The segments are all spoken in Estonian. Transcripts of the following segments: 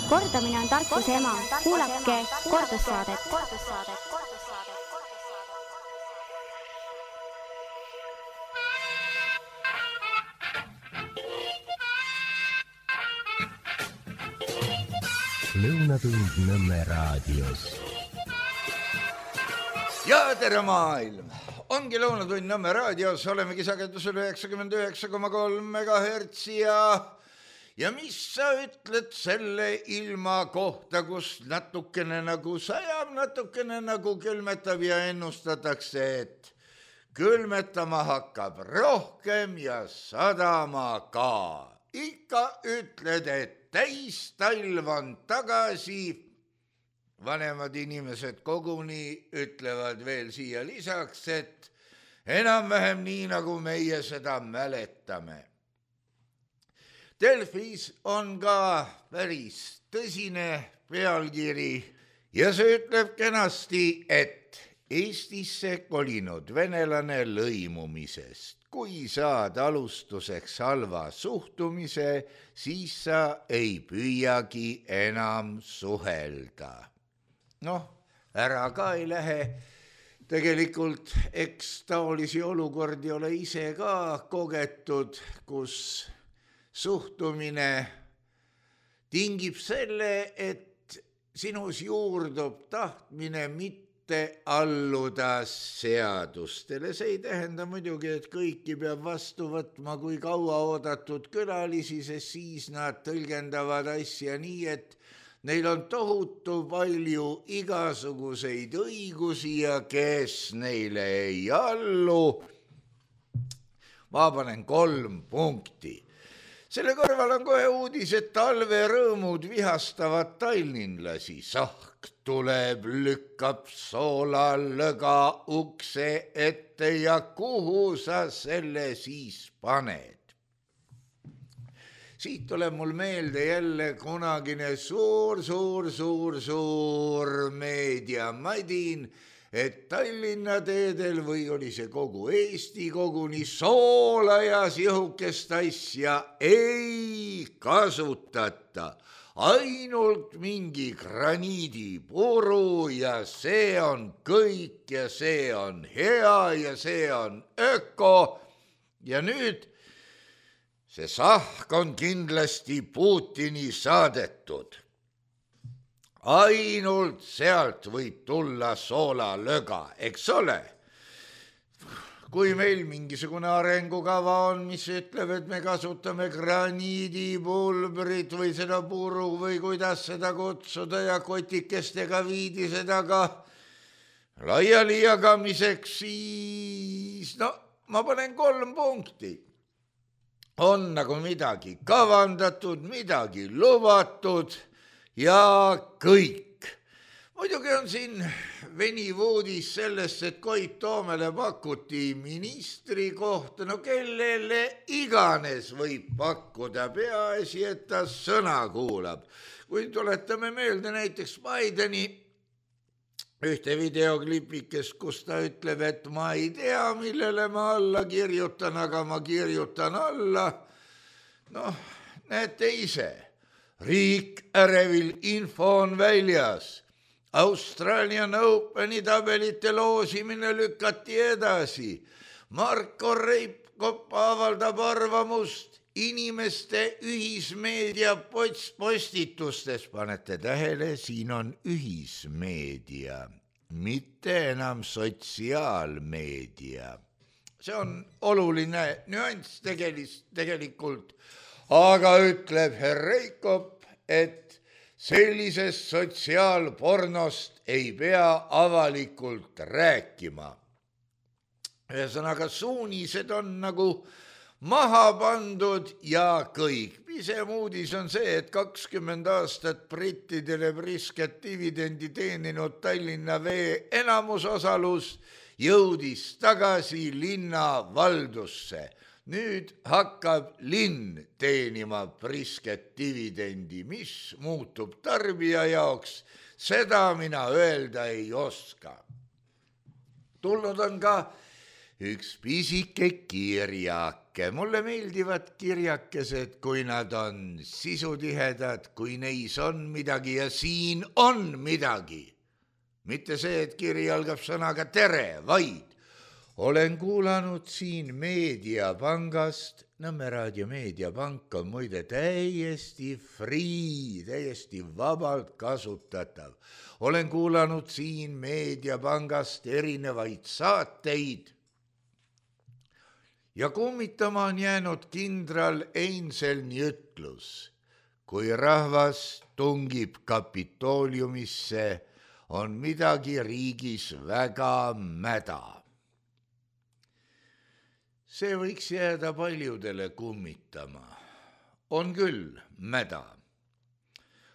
Kordamine on tarkuse ema. Kuulake kordussaadet. Lõunatund Nõmme raadios. Ja tere maailm! Ongi Lõunatund Nõmme raadios, olemegi sagedusel 99,3 MHz ja mis sa ütled selle ilma kohta, kus natukene nagu sajab, natukene nagu külmetab ja ennustatakse, et külmetama hakkab rohkem ja sadama ka. Ikka ütled, et täis talv on tagasi. Vanemad inimesed koguni ütlevad veel siia lisaks, et enam-vähem nii, nagu meie seda mäletame. Delfis on ka päris tõsine pealkiri ja see ütleb kenasti, et Eestisse kolinud venelane lõimumisest. Kui saad alustuseks halva suhtumise, siis sa ei püüagi enam suhelda. Ära ka ei lähe. Tegelikult eks taolisi olukordi ole ise ka kogetud, kus suhtumine tingib selle, et sinus juurdub tahtmine mitte alluda seadustele. See ei tähenda muidugi, et kõiki peab vastu võtma kui kaua oodatud külalisi, sest siis nad tõlgendavad asja nii, et neil on tohutu palju igasuguseid õigusi ja kes neile ei allu. Ma panen 3 punkti. Selle kõrval on kohe uudis, et talverõõmud vihastavad tallinlasi. Sahk tuleb, lükkab soolalõga ukse ette ja kuhu sa selle siis paned? Siit tuleb mul meelde jälle kunagine suur meediamadin, et Tallinna teedel või oli see kogu Eesti koguni soola ja sihukest asja ei kasutata. Ainult mingi graniidipuru ja see on kõik ja see on hea ja see on öko ja nüüd see sahk on kindlasti Putini saadetud. Ainult sealt võib tulla soolalõga, eks ole? Kui meil mingisugune arengukava on, mis ütleb, et me kasutame graniidipulbrit või seda puru või kuidas seda kutsuda ja kotikestega viidi seda ka laiali jagamiseks, siis ma panen 3 punkti. On nagu midagi kavandatud, midagi lubatud ja kõik. Muidugi on siin veniv uudis sellest, et Koit Toomele pakuti ministri kohta, kellele iganes võib pakkuda, peaasi, et ta sõna kuulab. Kui tuletame meelde näiteks Bideni ühte videoklipikest, kus ta ütleb, et ma ei tea, millele ma alla kirjutan, aga ma kirjutan alla. Näete ise. Riik ärevil info on väljas. Australian Openi tabelite loosimine lükati edasi. Marko Reipkop avaldab arvamust inimeste ühismeedia postitustes. Panete tähele, siin on ühismeedia, mitte enam sotsiaalmeedia. See on oluline nüanss tegelikult, aga ütleb herr Reikop, et sellisest sotsiaalpornost ei pea avalikult rääkima. Ühesõnaga, suunised on nagu maha pandud ja kõik. Pisem uudis on see, et 20 aastat brittidele prisket dividendi teeninud Tallinna Vee enamusosalus jõudis tagasi linna valdusse. Nüüd hakkab linn teenima prisket dividendi, mis muutub tarbija jaoks, seda mina öelda ei oska. Tulnud on ka üks pisike kirjak. vaadake, mulle meeldivad kirjakesed, kui nad on sisutihedad, kui neis on midagi ja siin on midagi. Mitte see, et kiri algab sõnaga tere, vaid olen kuulanud siin Meediapangast, Nõmme raadio Meediapank on muide täiesti free, täiesti vabalt kasutatav. Olen kuulanud siin Meediapangast erinevaid saateid ja kummitama on jäänud kindral Einselni ütlus, kui rahvas tungib Kapitooliumisse, on midagi riigis väga mäda. See võiks jääda paljudele kummitama. On küll mäda.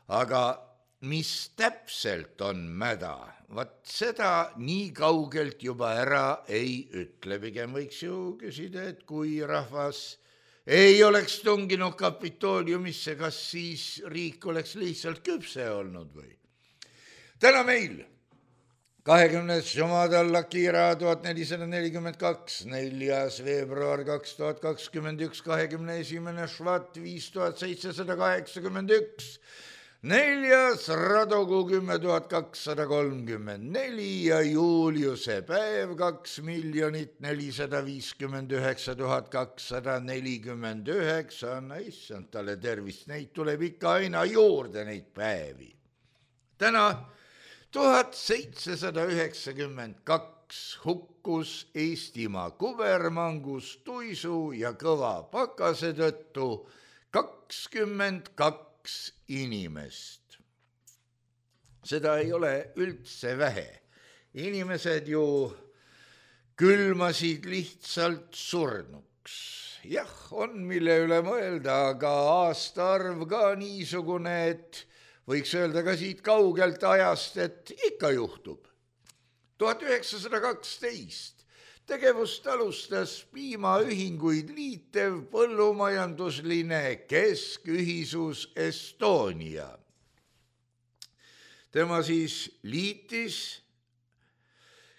Aga mis täpselt on mäda? Vat seda nii kaugelt juba ära ei ütle. Pigem võiks ju küsida, et kui rahvas ei oleks tunginud Kapitooliumisse, kas siis riik oleks lihtsalt küpse olnud või? Täna meil 20. jumadal Lakira 1442, 4. veebruar 2021, 21. švat 5781, 4. radokuu 10,234 ja Juliuse päev 2,459,249. Issand talle tervist, neid tuleb ikka aina juurde neid päevi. Täna 1792 hukkus Eestimaa kubermangus, tuisu ja kõva pakase tõttu 22 inimest. Seda ei ole üldse vähe. Inimesed ju külmasid lihtsalt surnuks. Jah, on mille üle mõelda, aga aastaarv ka niisugune, et võiks öelda ka siit kaugelt ajast, et ikka juhtub. 1912 tegevust alustas piimaühinguid liitev põllumajandusline keskühisus Estonia. Tema siis liitis,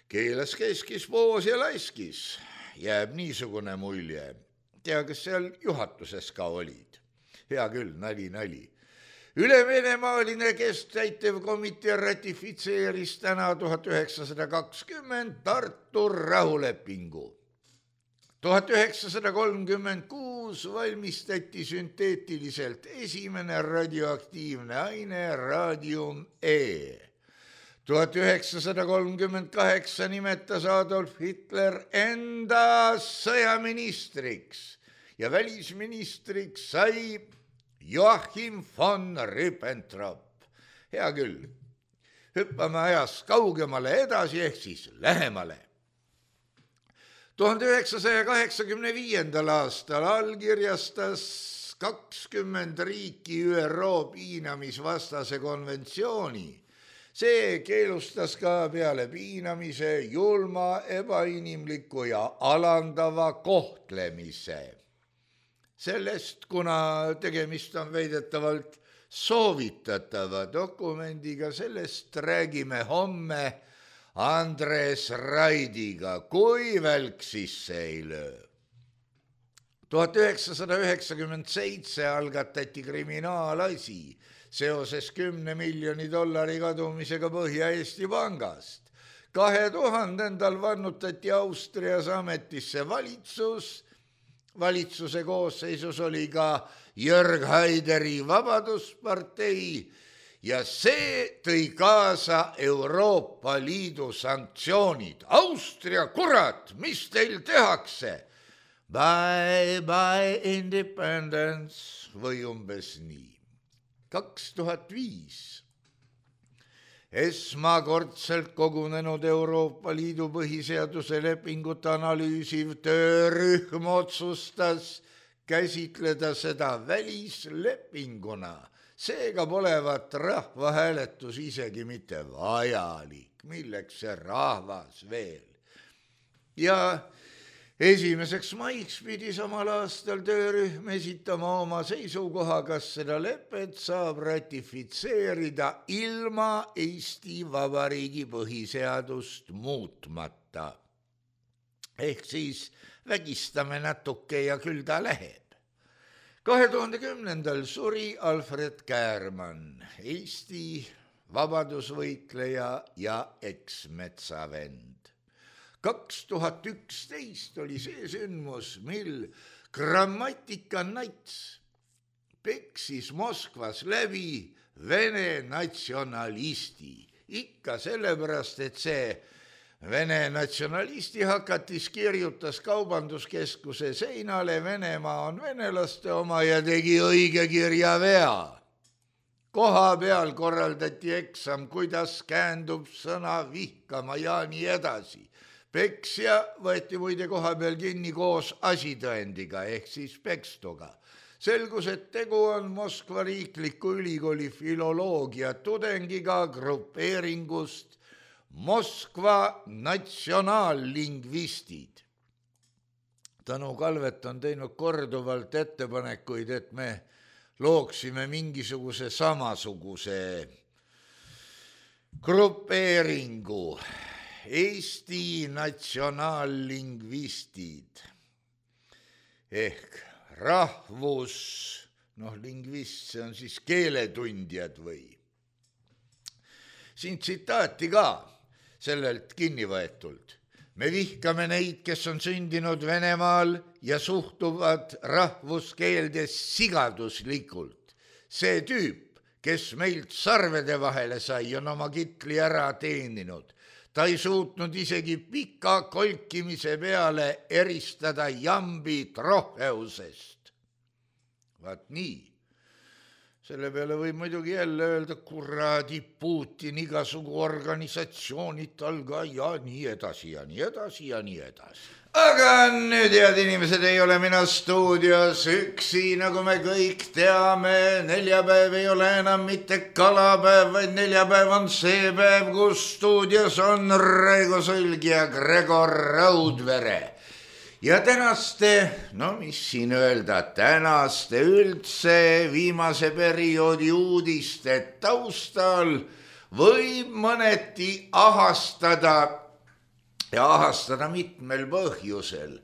keelas, keskis, poos ja laiskis. Jääb niisugune mulje. Tea, kas seal juhatuses ka olid? Hea küll, nali. Ülevenemaaline kesttäitev komitee ratifitseeris täna 1920 Tartu rahulepingu. 1936 valmistati sünteetiliselt esimene radioaktiivne aine Radium E. 1938 nimetas Adolf Hitler enda sõjaministriks ja välisministriks sai Joachim von Ribbentrop. Hea küll, hüppame ajas kaugemale edasi ehk siis lähemale. 1985. aastal allkirjastas 20 riiki ÜRO piinamisvastase konventsiooni. See keelustas ka peale piinamise julma, ebainimliku ja alandava kohtlemise. Sellest, kuna tegemist on väidetavalt soovitatava dokumendiga, sellest räägime homme Andres Raidiga, kui välk sisse ei löö. 1997 algatati kriminaalasi seoses 10 miljoni dollari kadumisega Põhja-Eesti pangast. 2000. vannutati Austrias ametisse valitsus. Valitsuse koosseisus oli ka Jörg Haideri Vabaduspartei ja see tõi kaasa Euroopa Liidu sanktsioonid. Austria, kurat, mis teil tehakse? Bye, bye, independence või umbes nii. 2005 esmakordselt kogunenud Euroopa Liidu põhiseaduse lepingut analüüsiv töörühm otsustas käsitleda seda välislepinguna. Seega polevat rahvahääletus isegi mitte vajalik. Milleks see rahvas veel? Ja 1. maiks pidi samal aastal töörühm esitama oma seisukoha, kas seda lepet saab ratifitseerida ilma Eesti Vabariigi põhiseadust muutmata. Ehk siis vägistame natuke ja küll ta läheb. 2010. suri Alfred Käärmann, Eesti vabadusvõitleja ja eksmetsavend. 2011 oli see sündmus, mil Grammatika nats peksis Moskvas läbi Vene natsionalisti. Ikka sellepärast, et see Vene natsionalisti hakatis kirjutas kaubanduskeskuse seinale Venemaa on venelaste oma ja tegi õige kirjavea. Koha peal korraldati eksam, kuidas käändub sõna vihkama ja nii edasi. Peksja võeti muide koha peal kinni koos asitõendiga ehk siis pekstuga. Selgus, et tegu on Moskva riikliku ülikooli filoloogia tudengiga grupeeringust Moskva natsionaallingvistid. Tõnu Kalvet on teinud korduvalt ettepanekuid, et me looksime mingisuguse samasuguse grupeeringu. Eesti natsionaallingvistid ehk lingvist, see on siis keeletundjad või. Siin tsitaati ka sellelt kinni võetult. Me vihkame neid, kes on sündinud Venemaal ja suhtuvad rahvuskeeldes sigaduslikult. See tüüp, kes meilt sarvede vahele sai, on oma kitli ära teeninud. Ta ei suutnud isegi pika kolkimise peale eristada jambi troheusest. Vaat nii. Selle peale võib muidugi jälle öelda, kuradi Putin, igasugu organisatsioonid talga ja nii edasi ja nii edasi ja nii edasi. Aga nüüd, head inimesed, ei ole mina stuudios üksi, nagu me kõik teame. Neljapäev ei ole enam mitte kalapäev, vaid neljapäev on see päev, kus stuudios on Raigo Sõlg ja Gregor Raudvere. Ja tänaste, mis siin öelda, tänaste üldse viimase perioodi uudiste taustal võib mõneti ahastada ja ahastada mitmel põhjusel.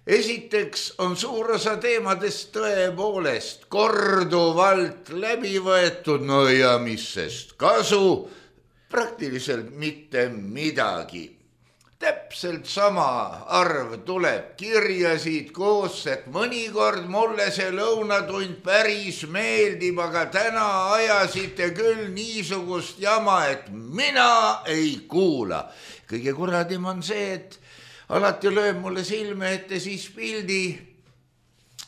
Esiteks on suur osa teemadest tõepoolest korduvalt läbi võetud, no ja mis sest kasu, praktiliselt mitte midagi. Täpselt sama arv tuleb kirjasid koos, et mõnikord mulle see lõunatund päris meeldib, aga täna ajasite küll niisugust jama, et mina ei kuula. Kõige kuradim on see, et alati lööb mulle silme ette siis pildi,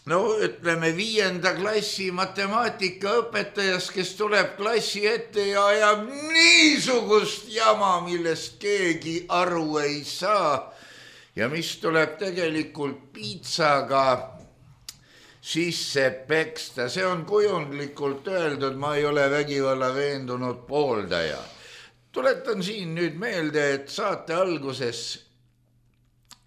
ütleme 5. klassi matemaatikaõpetajast, kes tuleb klassi ette ja ajab niisugust jama, millest keegi aru ei saa ja mis tuleb tegelikult piitsaga sisse peksta. See on kujundlikult öeldud, ma ei ole vägivalla veendunud pooldaja. Tuletan siin nüüd meelde, et saate alguses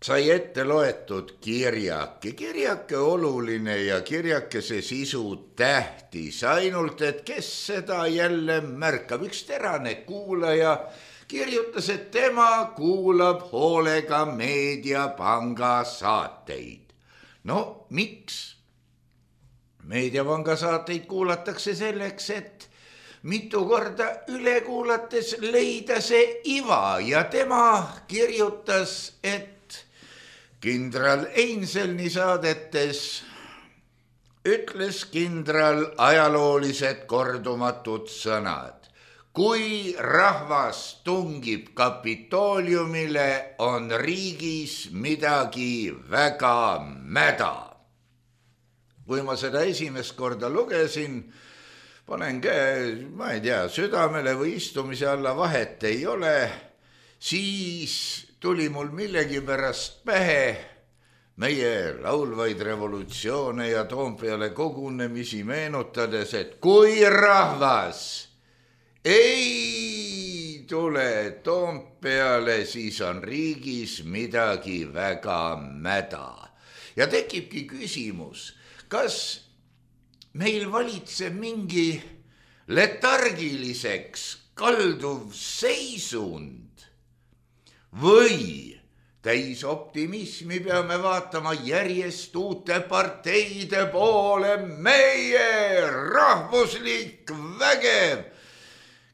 sai ette loetud kirjake. Kirjake oluline ja kirjakese sisu tähtis, ainult et kes seda jälle märkab. Üks terane kuulaja kirjutas, et tema kuulab hoolega Meediapanga saateid. Miks? Meediapanga saateid kuulatakse selleks, et mitu korda üle kuulates leida see iva ja tema kirjutas, et kindral Einselni saadetes ütles kindral ajaloolised kordumatud sõnad. Kui rahvas tungib Kapitooliumile, on riigis midagi väga mäda. Kui ma seda esimest korda lugesin, panen käe, ma ei tea, südamele või istumise alla, vahet ei ole, siis tuli mul millegipärast pähe meie laulvaid revolutsioone ja Toompeale kogunemisi meenutades, et kui rahvas ei tule Toompeale, siis on riigis midagi väga mäda. Ja tekibki küsimus, kas meil valitseb mingi letargiliseks kalduv seisund või täis optimismi peame vaatama järjest uute parteide poole, meie rahvuslik vägev.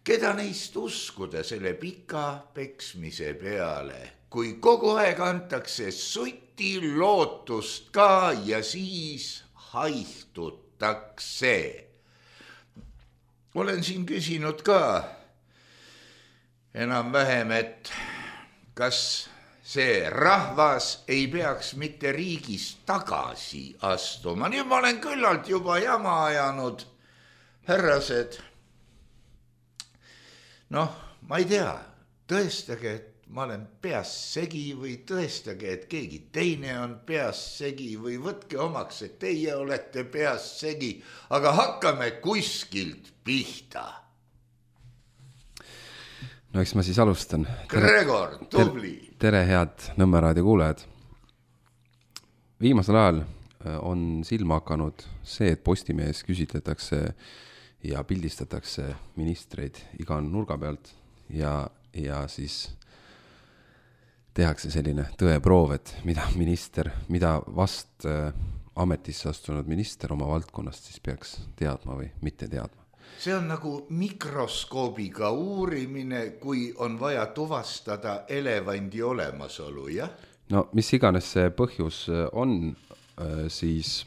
Keda neist uskuda selle pika peksmise peale, kui kogu aeg antakse suti lootust ka ja siis haihtutakse. Olen siin küsinud ka enam-vähem, et kas see rahvas ei peaks mitte riigist tagasi astuma. Nüüd ma olen küllalt juba jama ajanud, härrased. Noh, ma ei tea, tõestage, et ma olen peas segi või tõestage, et keegi teine on peas segi või võtke omaks, et teie olete peas segi, aga hakkame kuskilt pihta. No eks ma siis alustan. Gregor, tubli. Tere head Nõmme raadio kuulajad. Viimasel ajal on silma hakanud see, et Postimehes küsitletakse ja pildistatakse ministreid iga nurga pealt ja siis tehakse selline tõeproov, et mida vast ametisse astunud minister oma valdkonnast siis peaks teadma või mitte teadma. See on nagu mikroskoobiga uurimine, kui on vaja tuvastada elevandi olemasolu, jah? No mis iganes see põhjus on, siis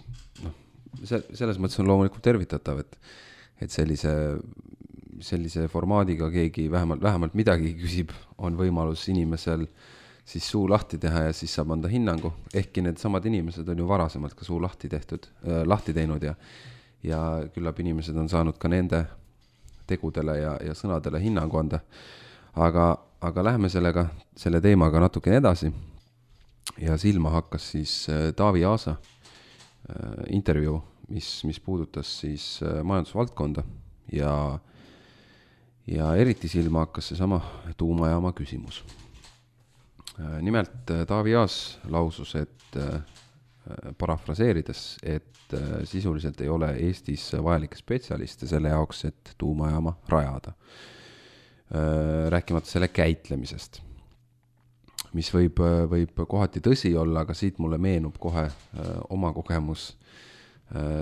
selles mõttes on loomulikult tervitatav, et sellise formaadiga keegi vähemalt midagi küsib, on võimalus inimesel siis suu lahti teha ja siis saab anda hinnangu. Ehkki need samad inimesed on ju varasemalt ka suu lahti teinud ja küllap inimesed on saanud ka nende tegudele ja sõnadele hinnangu anda. Aga läheme selle teemaga natuke edasi ja silma hakkas siis Taavi Aasa intervjuu, mis puudutas siis majandusvaldkonda ja eriti silma hakkas see sama tuumajaama küsimus. Nimelt Taavi Aas lausus, et parafraseerides, et sisuliselt ei ole Eestis vajalikke spetsialiste selle jaoks, et tuumajaama rajada. Rääkimata selle käitlemisest, mis võib kohati tõsi olla, aga siit mulle meenub kohe oma kogemus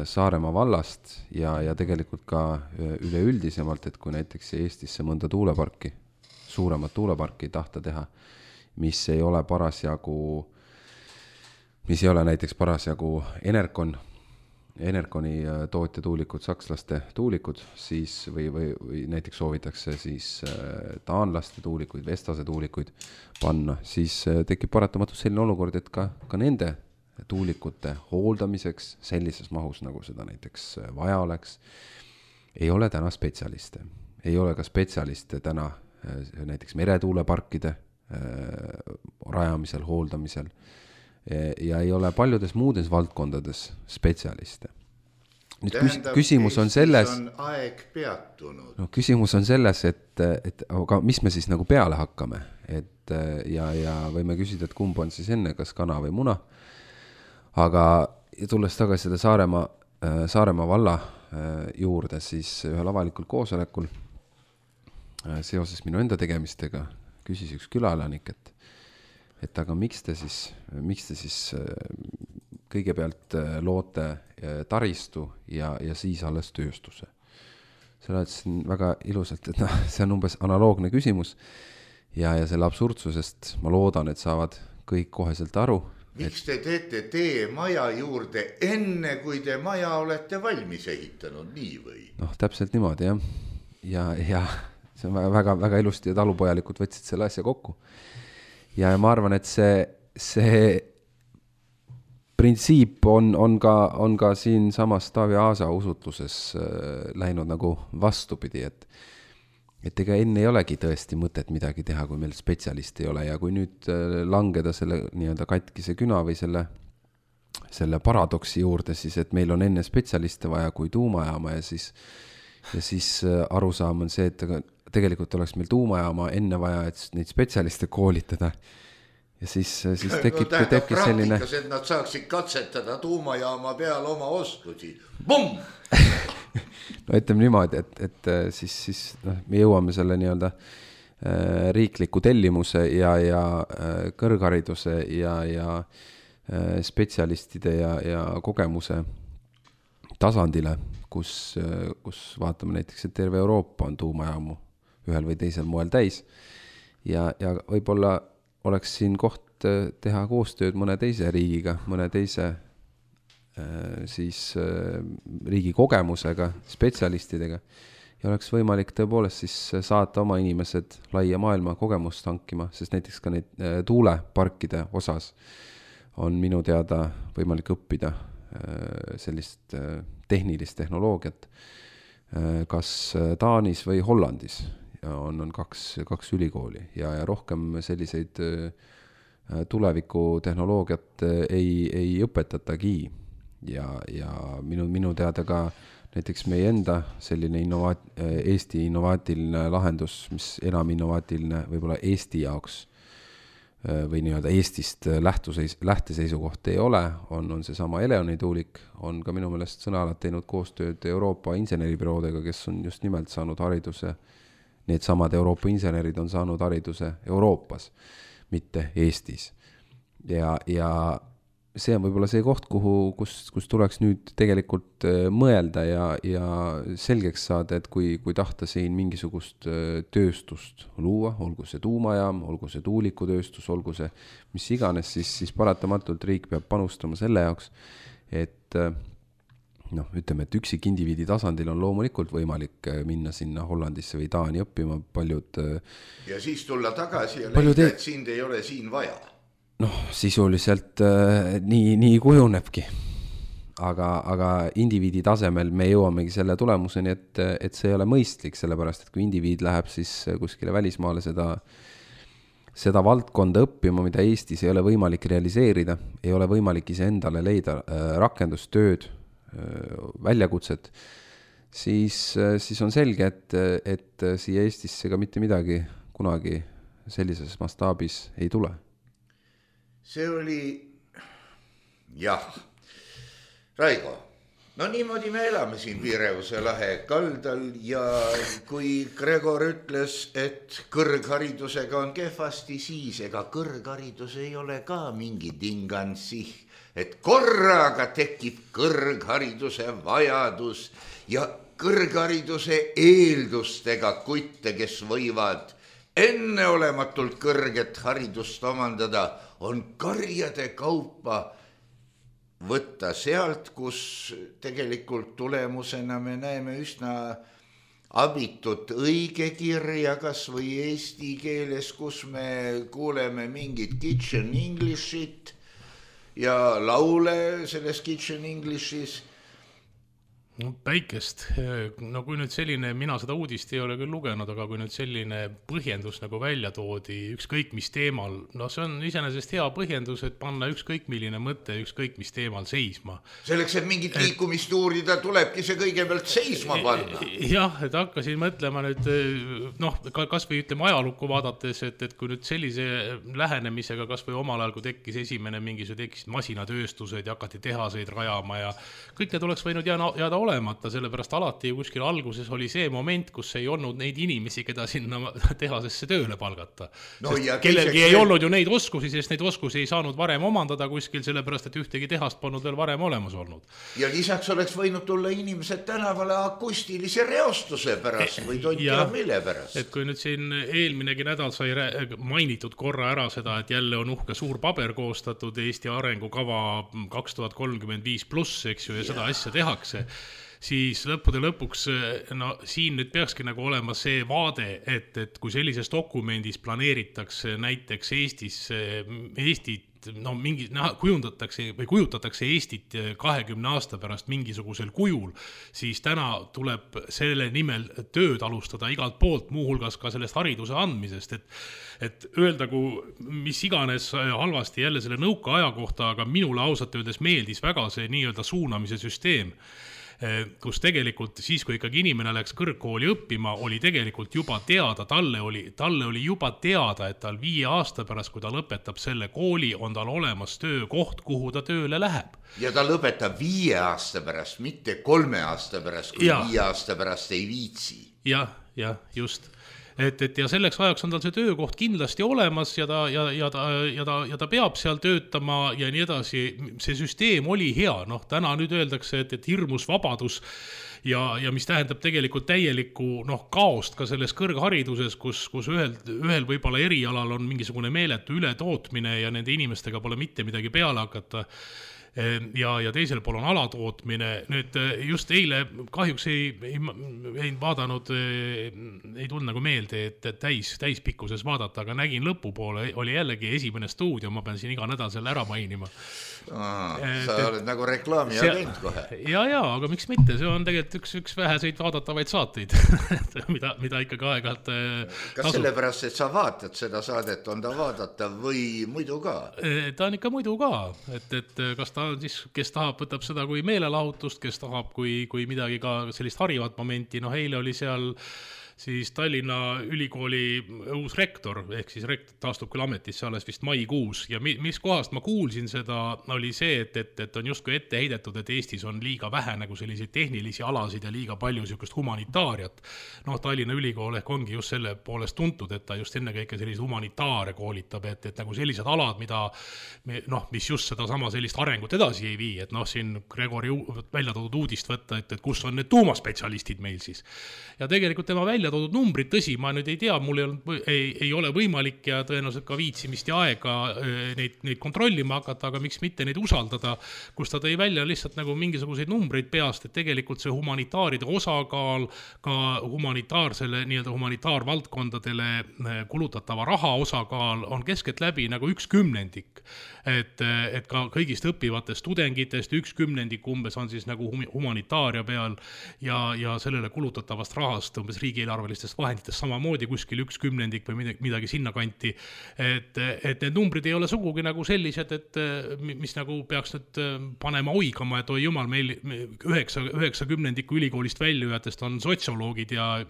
Saaremaa vallast ja tegelikult ka üleüldisemalt, et kui näiteks Eestisse mõnda tuuleparki, suuremat tuuleparki tahta teha, mis ei ole näiteks parasjagu Enerconi tootja tuulikud, sakslaste tuulikud, siis või näiteks soovitakse siis taanlaste tuulikuid, Vestase tuulikuid panna, siis tekib paratamatult selline olukord, et ka nende tuulikute hooldamiseks sellises mahus, nagu seda näiteks vaja oleks, ei ole täna spetsialiste. Ei ole ka spetsialiste täna näiteks meretuuleparkide rajamisel, hooldamisel ja ei ole paljudes muudes valdkondades spetsialiste. Nüüd küsimus on selles, on aeg peatunud. No, küsimus on selles, et aga mis me siis nagu peale hakkame, ja võime küsida, et kumb on siis enne, kas kana või muna. Aga tulles tagasi seda Saaremaa valla juurde, siis ühel avalikul koosolekul seoses minu enda tegemistega küsis üks külaelanik, et aga miks te siis kõigepealt loote taristu ja siis alles tööstuse. Selle ütlesin väga ilusalt, et see on umbes analoogne küsimus ja selle absurdsusest ma loodan, et saavad kõik koheselt aru. Miks te teete tee maja juurde enne, kui te maja olete valmis ehitanud, nii või? Noh, täpselt niimoodi, jah. Ja see on väga, väga ilusti ja talupojalikud võtsid selle asja kokku. Ja ma arvan, et see printsiip on ka siin samas Taavi Aasa usutluses läinud nagu vastupidi, et ega enne ei olegi tõesti mõtet midagi teha, kui meil spetsialist ei ole ja kui nüüd langeda selle nii-öelda katkise küna või selle paradoksi juurde, siis et meil on enne spetsialiste vaja kui tuumajaama ja siis arusaam on see, et tegelikult oleks meil tuumajaama enne vaja, et neid spetsialiste koolitada ja siis tekib selline... Praktikas, et nad saaksid katsetada tuumajaama peal oma oskusi. Bum! No ütleme niimoodi, et siis me jõuame selle nii-öelda riikliku tellimuse ja kõrghariduse ja spetsialistide ja kogemuse tasandile, kus vaatame näiteks, et terve Euroopa on tuumajaamu ühel või teisel moel täis ja võib-olla oleks siin koht teha koostööd mõne teise riigiga, mõne teise siis riigi kogemusega, spetsialistidega ja oleks võimalik tõepoolest siis saata oma inimesed laia maailma kogemust hankima, sest näiteks ka neid tuuleparkide osas on minu teada võimalik õppida sellist tehnilist tehnoloogiat kas Taanis või Hollandis ja on kaks ülikooli ja rohkem selliseid tuleviku tehnoloogiat ei õpetatagi ja minu teada ka näiteks meie enda selline Eesti innovaatiline lahendus, mis enam innovaatiline võib-olla Eesti jaoks või nii-öelda Eestist lähteseisukoht ei ole, on seesama Eleoni tuulik, on ka minu meelest sõnaalad teinud koostööd Euroopa inseneribüroodega, kes on just nimelt saanud hariduse, need samad Euroopa insenerid on saanud hariduse Euroopas, mitte Eestis. Ja see on võib-olla see koht, kus tuleks nüüd tegelikult mõelda ja selgeks saada, et kui tahta siin mingisugust tööstust luua, olgu see tuumajaam, olgu see tuulikutööstus, olgu see mis iganes, siis paratamatult riik peab panustama selle jaoks, et ütleme, et üksik indiviidi tasandil on loomulikult võimalik minna sinna Hollandisse või Taani õppima paljud ja siis tulla tagasi ja leida, et sind ei ole siin vaja. Sisuliselt nii kujunebki. Aga indiviidi tasemel me jõuamegi selle tulemuseni, et see ei ole mõistlik, sellepärast, et kui indiviid läheb siis kuskile välismaale seda valdkonda õppima, mida Eestis ei ole võimalik realiseerida, ei ole võimalik ise endale leida rakendustööd, väljakutset, siis on selge, et siia Eestisse ka mitte midagi kunagi sellises mastaabis ei tule. See oli, jah, Raigo, niimoodi me elame siin Pireuse lahe kaldal ja kui Gregor ütles, et kõrgharidusega on kehvasti, siis ega kõrgharidus ei ole ka mingi tingansi, et korraga tekib kõrghariduse vajadus ja kõrghariduse eeldustega kutte, kes võivad enneolematult kõrget haridust omandada, on karjade kaupa võtta sealt, kus tegelikult tulemusena me näeme üsna abitut õigekirja, kas või eesti keeles, kus me kuuleme mingit kitchen Englishit ja laule selles kitchen Englishis. Päikest, kui nüüd selline, mina seda uudist ei ole küll lugenud, aga kui nüüd selline põhjendus nagu välja toodi ükskõik mis teemal, see on iseenesest hea põhjendus, et panna ükskõik milline mõte ükskõik mis teemal seisma. Selleks, et mingit liikumist uurida, tulebki see kõigepealt seisma panna. Jah, et hakkasin mõtlema nüüd, kas või ütleme ajalukku vaadates, et kui nüüd sellise lähenemisega, kas või omal ajal, kui tekkis esimene tekkisid masinatööstused ja hakati tehaseid rajama ja kõik need oleks võinud jääda olemata, sellepärast alati kuskil alguses oli see moment, kus ei olnud neid inimesi, keda sinna tehasesse tööle palgata. Kellelgi ei olnud ju neid oskusi, sest neid oskusi ei saanud varem omandada kuskil, sellepärast, et ühtegi tehast polnud veel varem olemas olnud. Ja lisaks oleks võinud tulla inimesed tänavale akustilise reostuse pärast või tontia mille pärast. Et kui nüüd siin eelminegi nädal sai mainitud korra ära seda, et jälle on uhke suur paber koostatud Eesti arengukava 2035+, eks ju, ja seda asja tehakse, siis lõppude lõpuks, siin nüüd peakski nagu olema see vaade, et kui sellises dokumendis planeeritakse näiteks Eestit, kujutatakse Eestit 20 aasta pärast mingisugusel kujul, siis täna tuleb selle nimel tööd alustada igalt poolt, muuhulgas ka sellest hariduse andmisest, et öeldagu mis iganes halvasti jälle selle nõuka aja kohta, aga minule ausalt öeldes meeldis väga see nii-öelda suunamise süsteem, kus tegelikult siis, kui ikkagi inimene läks kõrgkooli õppima, oli tegelikult juba teada, talle oli juba teada, et tal 5 aasta pärast, kui ta lõpetab selle kooli, on tal olemas töökoht, kuhu ta tööle läheb. Ja ta lõpetab 5 aasta pärast, mitte 3 aasta pärast, kui 5 aasta pärast ei viitsi. Jah, just. ja selleks ajaks on tal see töökoht kindlasti olemas ja ta peab seal töötama ja nii edasi. See süsteem oli hea, täna nüüd öeldakse, et hirmus vabadus ja mis tähendab tegelikult täielikku kaost ka selles kõrghariduses, kus ühel võib-olla erialal on mingisugune meeletu ületootmine ja nende inimestega pole mitte midagi peale hakata. Ja teisel pool on alatootmine. Nüüd just eile kahjuks ei vaadanud, ei tulnud nagu meelde, et täispikkuses vaadata, aga nägin lõpupoole, oli jällegi esimene stuudio, ma pean siin iga nädal selle ära mainima. Sa oled nagu reklaami agent kohe. Ja, aga miks mitte, see on tegelikult üks väheseid vaadatavaid saateid, mida ikkagi aeg-ajalt Kas sellepärast, et sa vaatad seda saadet, on ta vaadata või muidu ka? Ta on ikka muidu ka, et kas ta on siis, kes tahab, võtab seda kui meelelahutust, kes tahab kui midagi ka sellist harivat momenti, eile oli seal siis Tallinna ülikooli uus rektor, ehk siis rektor taastub küll ametisse alles vist maikuus ja mis kohast ma kuulsin seda, oli see, et on justkui ette heidetud, et Eestis on liiga vähe nagu selliseid tehnilisi alasid ja liiga palju sellist humanitaariat. Tallinna ülikool ehk ongi just selle poolest tuntud, et ta just ennekõike sellised humanitaare koolitab, et nagu sellised alad, mis just seda sama sellist arengut edasi ei vii, et siin Gregori välja toodud uudist võtta, et kus on need tuumaspetsialistid meil siis. Ja tegelikult tema välja toodud numbrid, tõsi, ma nüüd ei tea, mul ei ole võimalik ja tõenäoliselt ka viitsimist ja aega neid kontrollima hakata, aga miks mitte neid usaldada, kus ta tõi välja lihtsalt nagu mingisuguseid numbreid peast, et tegelikult see humanitaaride osakaal, ka humanitaarsele, nii-öelda humanitaarvaldkondadele kulutatava raha osakaal on keskeltläbi nagu 1/10. Et ka kõigist õppivatest tudengitest 1/10 umbes on siis nagu humanitaaria peal ja sellele kulutatavast rahast umbes riigieelarvelistest vahenditest samamoodi kuskil 1/10 või midagi sinna kanti. Et need numbrid ei ole sugugi nagu sellised, et mis nagu peaks nüüd panema oigama, et oi jumal, meil 9/10 ülikoolist väljujatest on sotsioloogid ja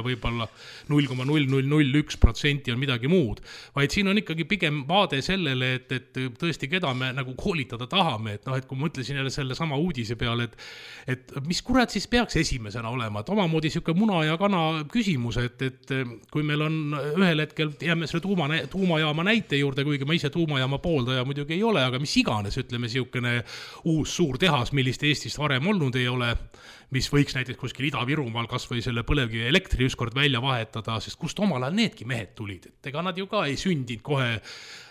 võib-olla 0,0001% on midagi muud. Vaid siin on ikkagi pigem vaade sellele, et tõesti, keda me nagu koolitada tahame, et kui ma mõtlesin jälle selle sama uudise peale, et mis kurat siis peaks esimesena olema, et omamoodi siuke muna ja kana küsimus, et kui meil on ühel hetkel, jääme selle tuumajaama näite juurde, kuigi ma ise tuumajaama pooldaja muidugi ei ole, aga mis iganes, ütleme siukene uus suur tehas, millist Eestist varem olnud ei ole, mis võiks näiteks kuskil Ida-Virumaal kas või selle põlevkivi elektri ükskord välja vahetada, sest kust omal ajal needki mehed tulid, et ega nad ju ka ei sündinud kohe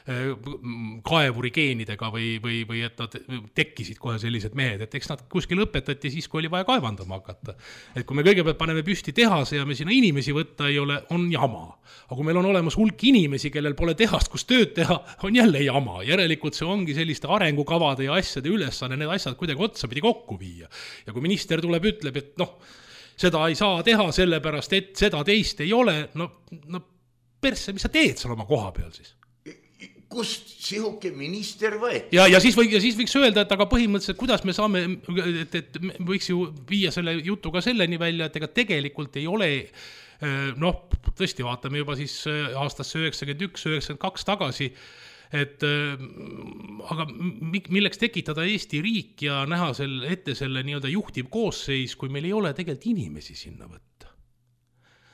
kaevuri geenidega või et nad tekkisid kohe sellised mehed, et eks nad kuskil õpetati siis, kui oli vaja kaevandama hakata. Et kui me kõigepealt paneme püsti tehase ja me sinna inimesi võtta ei ole, on jama. Aga kui meil on olemas hulk inimesi, kellel pole tehast, kus tööd teha, on jälle jama. Järelikult see ongi selliste arengukavade ja asjade ülesanne, need asjad kuidagi otsapidi kokku viia. Ja kui minister tuleb, ütleb, et seda ei saa teha sellepärast, et seda teist ei ole, persse, mis sa teed seal oma koha peal siis? Kust sihuke minister võeti? Ja siis võiks öelda, et aga põhimõtteliselt, kuidas me saame, et võiks ju viia selle jutu ka selleni välja, et ega tegelikult ei ole, tõesti vaatame juba siis aastasse 91-92 tagasi, et aga milleks tekitada Eesti riik ja näha ette selle nii-öelda juhtiv koosseis, kui meil ei ole tegelikult inimesi sinna võtta.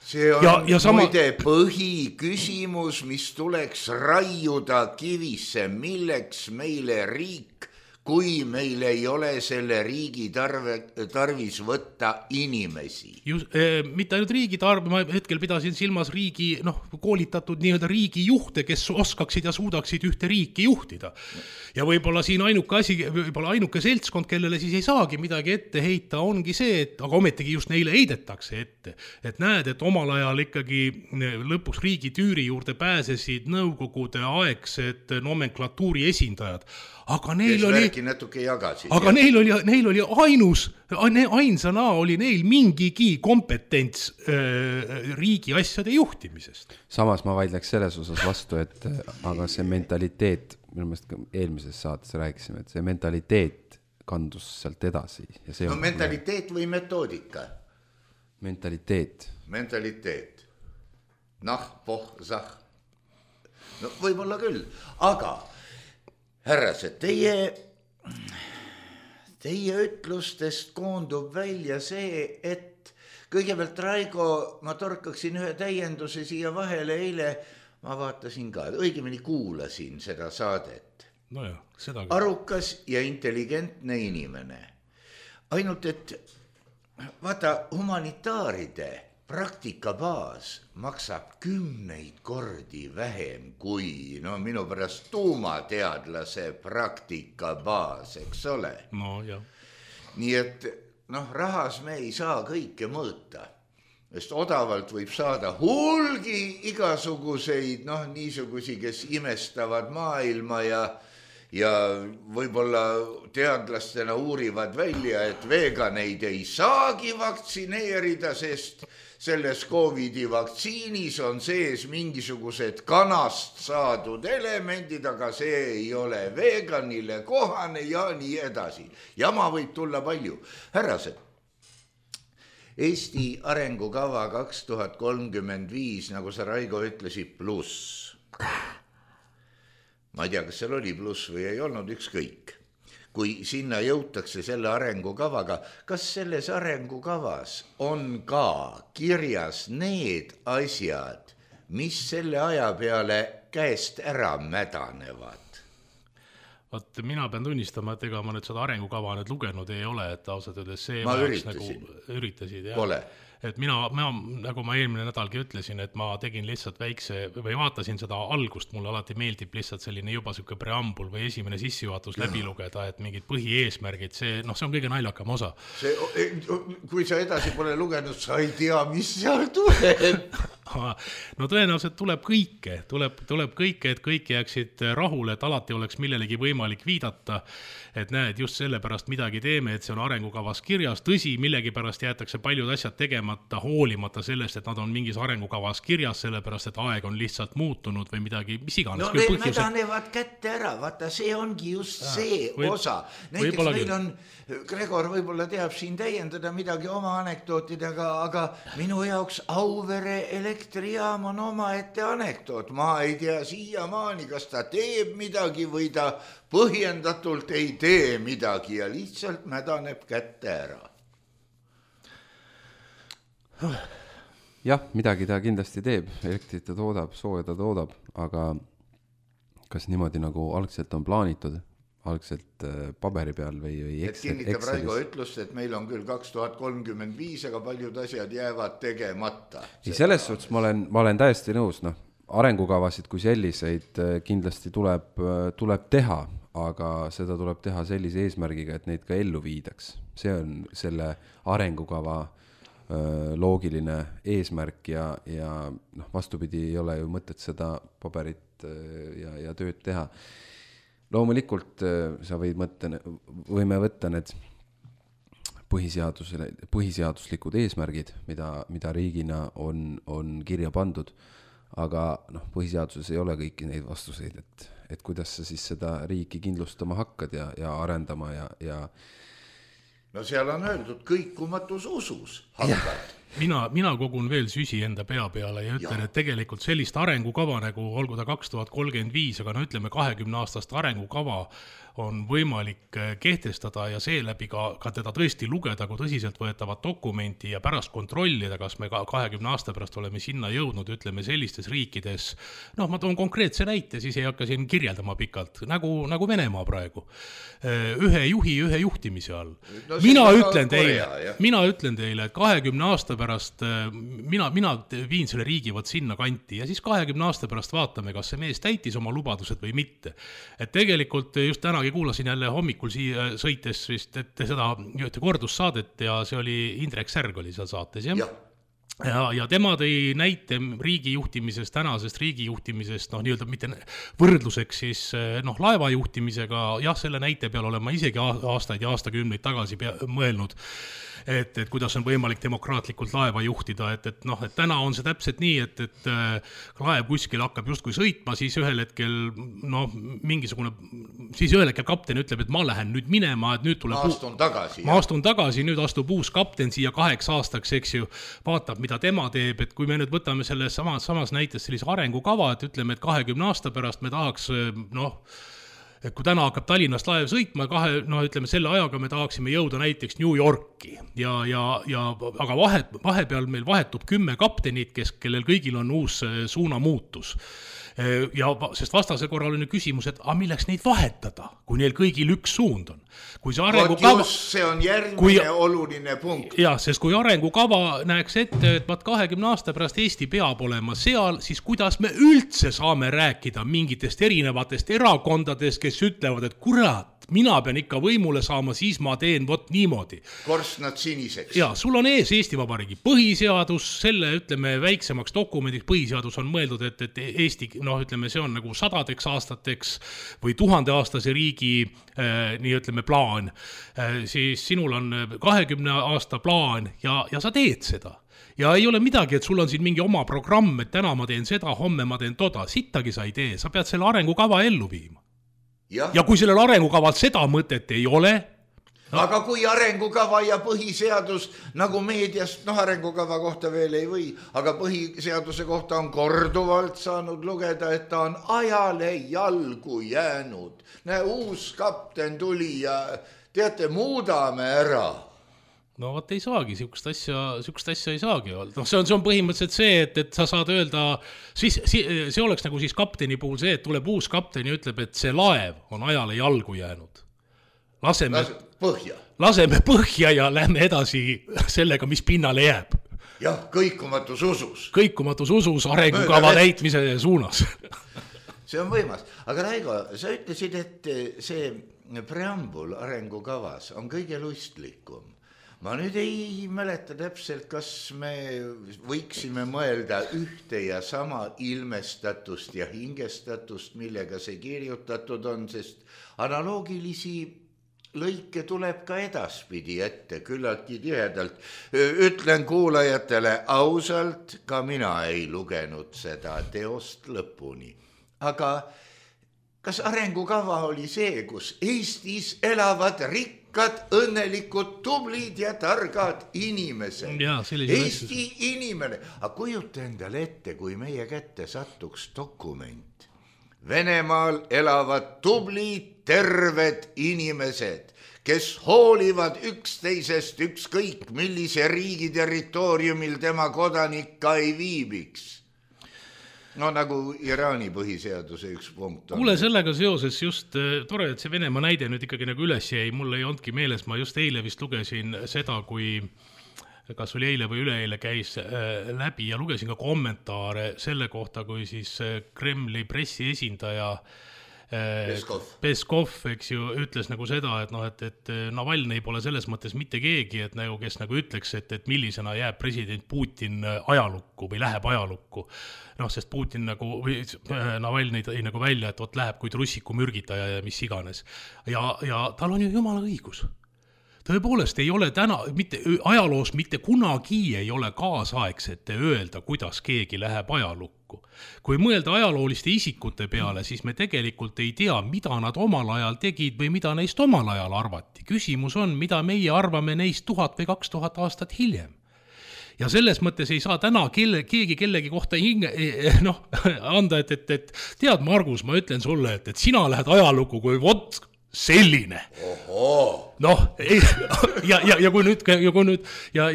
See on muide põhiküsimus, mis tuleks raiuda kivisse, milleks meile riik, kui meil ei ole selle riigi tarvis võtta inimesi. Mitte ainult riigi tarvis, ma hetkel pidasin silmas riigi, koolitatud nii-öelda riigi juhte, kes oskaksid ja suudaksid ühte riiki juhtida. Ja võib-olla siin ainuke seltskond, kellele siis ei saagi midagi ette heita, ongi see, et aga ometigi just neile heidetakse ette. Et näed, et omal ajal ikkagi lõpuks riigi tüüri juurde pääsesid nõukogude aegsed nomenklatuuri esindajad. Aga neil oli ainsana oli neil mingigi kompetents riigi asjade juhtimisest. Samas ma vaidleks selles osas vastu, et aga see mentaliteet, minu meelest eelmises saates rääkisime, et see mentaliteet kandus sealt edasi. Ja mentaliteet või metoodika? Mentaliteet. Võib-olla küll, aga härrased, teie ütlustest koondub välja see, et kõigepealt Raigo, ma torkaksin ühe täienduse siia vahele, eile ma vaatasin ka, õigemini kuulasin seda saadet. No jah, seda ka. Arukas ja intelligentne inimene. Ainult, et vaata, humanitaaride praktikabaas maksab 10 kordi vähem kui minu pärast tuumateadlase praktikabaas, eks ole? No jah. Nii et rahas me ei saa kõike mõõta, sest odavalt võib saada hulgi igasuguseid, niisugusi, kes imestavad maailma ja võib-olla teadlastena uurivad välja, et veganeid ei saagi vaktsineerida, sest selles COVID-i vaktsiinis on sees mingisugused kanast saadud elemendid, aga see ei ole veganile kohane ja nii edasi. Jama võib tulla palju. Härrased, Eesti arengukava 2035, nagu sa Raigo ütlesid, pluss. Ma ei tea, kas seal oli pluss või ei olnud, ükskõik. Kui sinna jõutakse selle arengukavaga, kas selles arengukavas on ka kirjas need asjad, mis selle aja peale käest ära mädanevad? Vaat mina pean tunnistama, et ega ma nüüd seda arengukava nüüd lugenud ei ole, et ausalt öeldes see ma üritasin. Üritasid, jah. Pole. Et mina, nagu ma eelmine nädalgi ütlesin, et ma tegin lihtsalt väikse, või vaatasin seda algust, mulle alati meeldib lihtsalt selline juba selline preambul või esimene sissejuhatus läbi lugeda, et mingid põhieesmärgid, see on kõige naljakam osa. Kui sa edasi pole lugenud, sa ei tea, mis seal tuleb. No tõenäoliselt tuleb kõike, et kõik jääksid rahule, et alati oleks millelegi võimalik viidata, et näed, just sellepärast midagi teeme, et see on arengukavas kirjas, tõsi, millegi pärast jäetakse paljud asjad tegemata, hoolimata sellest, et nad on mingis arengukavas kirjas, sellepärast, et aeg on lihtsalt muutunud või midagi, mis iganes. No need mädanevad kätte ära, vaata, see ongi just see osa. Näiteks meil on, Gregor võib-olla teab siin täiendada midagi oma anekdootidega, aga minu jaoks Auvere elektrijaam on omaette anekdoot. Ma ei tea siiamaani, kas ta teeb midagi või ta põhjendatult ei tee midagi ja lihtsalt mädaneb kätte ära. Jah, midagi ta kindlasti teeb, elektrit ta toodab, sooja ta toodab, aga kas niimoodi nagu algselt on plaanitud, algselt paberi peal või Excelis? Kinnitab Raigo ütlust, et meil on küll 2035, aga paljud asjad jäävad tegemata. Selles suhtes ma olen täiesti nõus, arengukavasid kui selliseid kindlasti tuleb teha, aga seda tuleb teha sellise eesmärgiga, et neid ka ellu viidaks. See on selle arengukava loogiline eesmärk ja vastupidi ei ole ju mõtet seda paberit ja tööd teha. Loomulikult sa võime võtta need põhiseaduslikud eesmärgid, mida riigina on kirja pandud, aga põhiseaduses ei ole kõiki neid vastuseid, et kuidas sa siis seda riiki kindlustama hakkad ja arendama ja no seal on öeldud kõikumatus usus hakkad. Mina kogun veel süsi enda pea peale ja ütlen, et tegelikult sellist arengukava nagu olgu ta 2035, aga ütleme 20-aastast arengukava on võimalik kehtestada ja seeläbi ka teda tõesti lugeda kui tõsiselt võetavat dokumenti ja pärast kontrollida, kas me 20 aasta pärast oleme sinna jõudnud, ütleme sellistes riikides. Ma toon konkreetse näite, siis ei hakka siin kirjeldama pikalt, nagu Venemaa praegu. Ühe juhi, ühe juhtimise all. No, mina ütlen teile, et 20 aasta pärast mina viin selle riigi sinna kanti ja siis 20 aasta pärast vaatame, kas see mees täitis oma lubadused või mitte. Et tegelikult just tänagi kuulasin jälle hommikul siia sõites vist, et seda kordussaadet ja see oli Indrek Särg oli seal saates, jah? Ja tema tõi näite riigijuhtimisest, tänasest riigijuhtimisest, nii-öelda mitte võrdluseks siis laevajuhtimisega, jah, selle näite peal olen ma isegi aastaid ja aastakümneid tagasi mõelnud, et kuidas on võimalik demokraatlikult laeva juhtida, et täna on see täpselt nii, et laev kuskil hakkab justkui sõitma, siis ühel hetkel siis ühel hetkel kapten ütleb, et ma lähen nüüd minema, et nüüd tuleb ma astun tagasi, nüüd astub uus kapten siia 8 aastaks, eks ju, vaatab, mida tema teeb, et kui me nüüd võtame selles samas näites sellise arengukava, et ütleme, et 20 aasta pärast me tahaks et kui täna hakkab Tallinnast laev sõitma, ütleme selle ajaga me tahaksime jõuda näiteks New Yorki aga vahepeal meil vahetub 10 kaptenit, kellel kõigil on uus suunamuutus. Sest vastasel korral on ju küsimus, et milleks neid vahetada, kui neil kõigil üks suund on. Kui see arengukava... see on järgmine oluline punkt. Sest kui arengukava näeks ette, et 20 aasta pärast Eesti peab olema seal, siis kuidas me üldse saame rääkida mingitest erinevatest erakondadest, kes ütlevad, et kurat, mina pean ikka võimule saama, siis ma teen vot niimoodi. Korstnad siniseks. Sul on ees Eesti Vabariigi põhiseadus, selle, ütleme, väiksemaks dokumendiks põhiseadus on mõeldud, et Eesti, ütleme, see on nagu 100 aastateks või 1000-aastase riigi, nii ütleme, plaan. Siis sinul on 20 aasta plaan ja sa teed seda. Ja ei ole midagi, et sul on siin mingi oma programm, et täna ma teen seda, homme ma teen toda. Sittagi sa ei tee, sa pead selle arengukava ellu viima. Ja kui sellel arengukavalt seda mõtet ei ole... Aga kui arengukava ja põhiseadus, nagu meediast, arengukava kohta veel ei või, aga põhiseaduse kohta on korduvalt saanud lugeda, et ta on ajale jalgu jäänud. Uus kapten tuli ja teate, muudame ära. No vot ei saagi, siukest asja ei saagi olla. See on põhimõtteliselt see, et sa saad öelda, see oleks nagu siis kapteni puhul see, et tuleb uus kapten ja ütleb, et see laev on ajale jalgu jäänud. Laseme põhja ja lähme edasi sellega, mis pinnale jääb. Jah, kõikumatus usus. Kõikumatus usus arengukava täitmise suunas. See on võimas. Aga Raigo, sa ütlesid, et see preambul arengukavas on kõige lustlikum. Ma nüüd ei mäleta täpselt, kas me võiksime mõelda ühte ja sama ilmestatust ja hingestatust, millega see kirjutatud on, sest analoogilisi lõike tuleb ka edaspidi ette, küllaltki tihedalt. Ütlen kuulajatele ausalt, ka mina ei lugenud seda teost lõpuni. Aga kas arengukava oli see, kus Eestis elavad rikkad, õnnelikud, tublid ja targad inimesed? Eesti inimene. Aga kujuta endale ette, kui meie kätte sattuks dokument. Venemaal elavad tublid, terved inimesed, kes hoolivad üksteisest ükskõik, millise riigi territooriumil tema kodanik ka ei viibiks. Nagu Iraani põhiseaduse üks punkt on. Kuule, sellega seoses just tore, et see Venemaa näide nüüd ikkagi nagu üles jäi. Mul ei olnudki meeles, ma just eile vist lugesin seda, kui kas oli eile või üleeile käis läbi ja lugesin ka kommentaare selle kohta, kui siis Kremli pressiesindaja Peskov, eks ju, ütles nagu seda, et Navalnõi pole selles mõttes mitte keegi, et nagu, kes nagu ütleks, et millisena jääb president Putin ajalukku või läheb ajalukku. Sest Putin nagu, Navalnõi tõi nagu välja, et läheb kui trussiku mürgitaja ja mis iganes. Ja tal on ju jumala õigus. Tõepoolest ei ole täna, ajaloos mitte kunagi ei ole kaasaegsete öelda, kuidas keegi läheb ajalukku. Kui mõelda ajalooliste isikute peale, siis me tegelikult ei tea, mida nad omal ajal tegid või mida neist omal ajal arvati. Küsimus on, mida meie arvame neist 1000 või 2000 aastat hiljem. Ja selles mõttes ei saa täna keegi kellegi kohta anda, et tead, Margus, ma ütlen sulle, et sina lähed ajalukku kui vot selline. Ja kui nüüd ja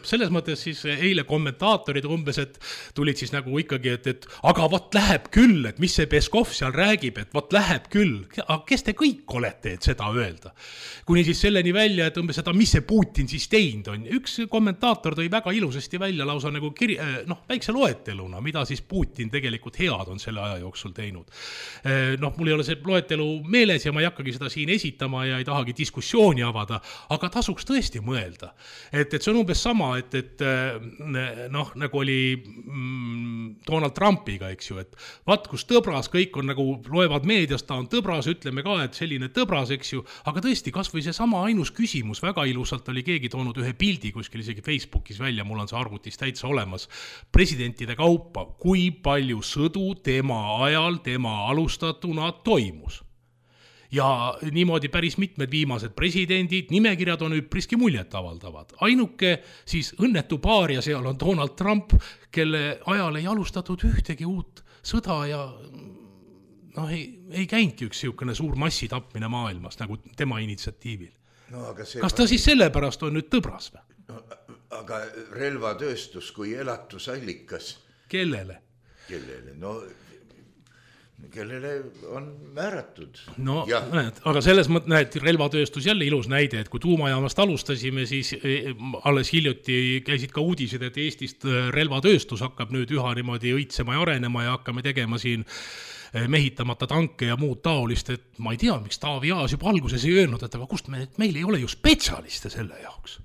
selles mõttes siis eile kommentaatorid umbes, et tulid siis nagu ikkagi, et aga vot läheb küll, et mis see Peskov seal räägib, et vot läheb küll. Aga kes te kõik olete, et seda öelda? Kuni siis selleni välja, et umbes, et mis see Putin siis teinud on. Üks kommentaator tõi väga ilusasti välja lausa nagu väikse loeteluna, mida siis Putin tegelikult head on selle aja jooksul teinud. Mul ei ole see loetelu meeles ja ma ei hakkagi seda siin esitama ja ei tahagi diskussiooni avada, aga tasuks tõesti mõelda. Et see on umbes sama, et nagu oli Donald Trumpiga, eks ju, et vaat kus tõbras, kõik on nagu, loevad meediast, ta on tõbras, ütleme ka, et selline tõbras, eks ju, aga tõesti, kas või see sama ainus küsimus, väga ilusalt oli keegi toonud ühe pildi kuskil isegi Facebookis välja, mul on see arvutis täitsa olemas, presidentide kaupa, kui palju sõdu tema ajal, tema alustatuna toimus. Ja niimoodi päris mitmed viimased presidendid, nimekirjad on üpriski muljet avaldavad. Ainuke siis õnnetu paar ja seal on Donald Trump, kelle ajal ei alustatud ühtegi uut sõda ja ei käinudki üks siukene suur massitapmine maailmas nagu tema initsiatiivil. No, aga kas ta siis sellepärast on nüüd tõbras või? No, aga relvatööstus kui elatusallikas. Kellele? No, kellele on määratud. No, näed, aga selles mõttes, näed, relvatööstus jälle ilus näide, et kui tuumajaamast alustasime, siis alles hiljuti käisid ka uudised, et Eestist relvatööstus hakkab nüüd üha niimoodi õitsema ja arenema ja hakkame tegema siin mehitamata tanke ja muud taolist, et ma ei tea, miks Taavi Aas juba alguses ei öelnud, et aga kust meil ei ole ju spetsialiste selle jaoks.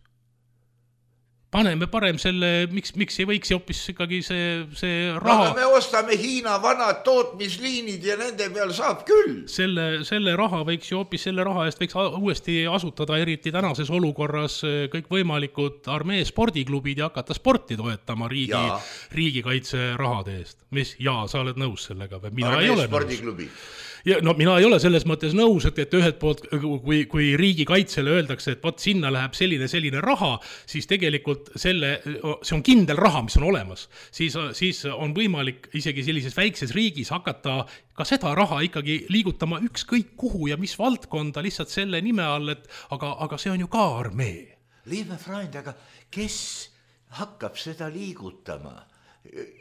Paneme parem selle, miks ei võiks hoopis ikkagi see raha... No, me ostame Hiina vanad tootmisliinid ja nende peal saab küll. Selle raha võiks ju hoopis selle raha eest võiks uuesti asutada eriti tänases olukorras kõik võimalikud armee spordiklubid ja hakata sporti toetama riigikaitse rahade eest. Sa oled nõus sellega? Armee spordiklubi. Ja, no mina ei ole selles mõttes nõus, et ühed poolt, kui riigikaitsele öeldakse, et võt sinna läheb selline raha, siis tegelikult see on kindel raha, mis on olemas. Siis on võimalik isegi sellises väikses riigis hakata ka seda raha ikkagi liigutama ükskõik kuhu ja mis valdkonda lihtsalt selle nime all, et aga see on ju ka armee. Liebe Freund, aga kes hakkab seda liigutama?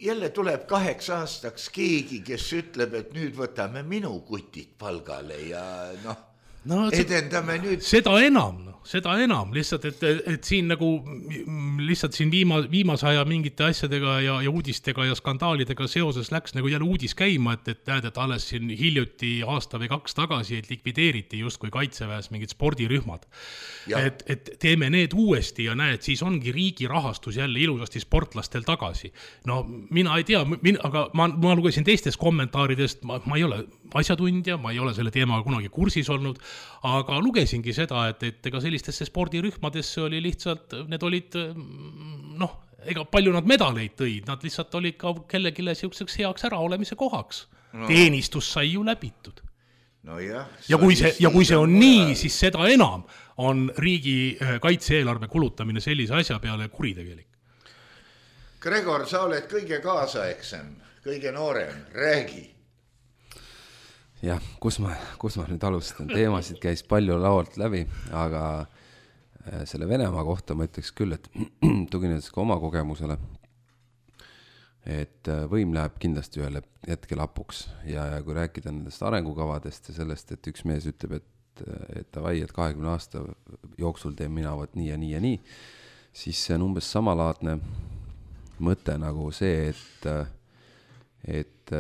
Jälle tuleb 8 aastaks keegi, kes ütleb, et nüüd võtame minu kutid palgale ja edendame nüüd. Seda enam, lihtsalt, et siin nagu lihtsalt siin viimase aja mingite asjadega ja uudistega ja skandaalidega seoses läks nagu jälle uudis käima, et näed, et alles siin hiljuti aasta või 2 tagasi, et likvideeriti just kui kaitseväes mingid spordirühmad. Et teeme need uuesti ja näed, siis ongi riigi rahastus jälle ilusasti sportlastel tagasi. No mina ei tea, aga ma lugesin teistest kommentaaridest, ma ei ole asjatundja, ma ei ole selle teemaga kunagi kursis olnud, aga lugesingi seda, et ega sellistesse spordirühmadesse oli lihtsalt, need olid, ega palju nad medaleid tõid, nad lihtsalt olid ka kellegile siukseks heaks äraolemise kohaks. Teenistus sai ju läbitud. No jah, ja kui see on nii, siis seda enam on riigi kaitse-eelarve kulutamine sellise asja peale kuritegelik. Gregor, sa oled kõige kaasaegsem, kõige noorem, räägi. Jah, kus ma nüüd alustan? Teemasid käis palju laualt läbi, aga selle Venemaa kohta ma ütleks küll, et tuginedes ka oma kogemusele, et võim läheb kindlasti ühel hetkel hapuks ja kui rääkida nendest arengukavadest ja sellest, et üks mees ütleb, et 20 aasta jooksul teen mina võt nii ja nii ja nii, siis see on umbes samalaadne mõte nagu see, et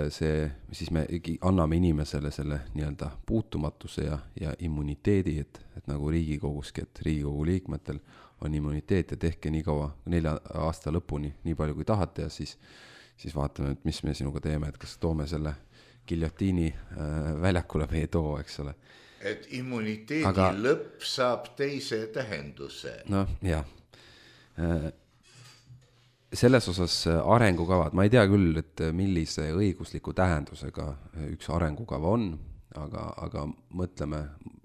siis me anname inimesele selle nii-öelda puutumatuse ja immuniteedi, et nagu Riigikoguski, et Riigikogu liikmetel on immuniteet ja tehke nii kaua 4 aasta lõpuni nii palju kui tahate ja siis vaatame, et mis me sinuga teeme, et kas toome selle giljotiini väljakule või ei too, eks ole. Et immuniteedi lõpp saab teise tähenduse. No jah. Selles osas arengukavad, ma ei tea küll, et millise õigusliku tähendusega üks arengukava on, aga mõtleme,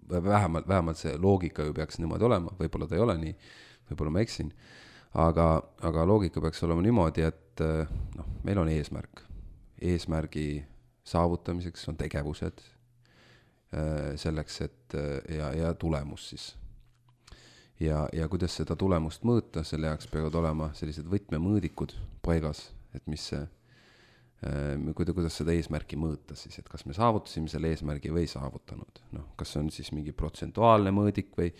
vähemalt see loogika ju peaks niimoodi olema, võib-olla ta ei ole nii, võib-olla ma eksin, aga loogika peaks olema niimoodi, et meil on eesmärk. Eesmärgi saavutamiseks on tegevused selleks, et ja tulemus siis. Ja kuidas seda tulemust mõõta, selle jaoks peavad olema sellised võtmemõõdikud paigas, et kuidas seda eesmärki mõõta siis, et kas me saavutasime selle eesmärgi või saavutanud. Kas on siis mingi protsentuaalne mõõdik või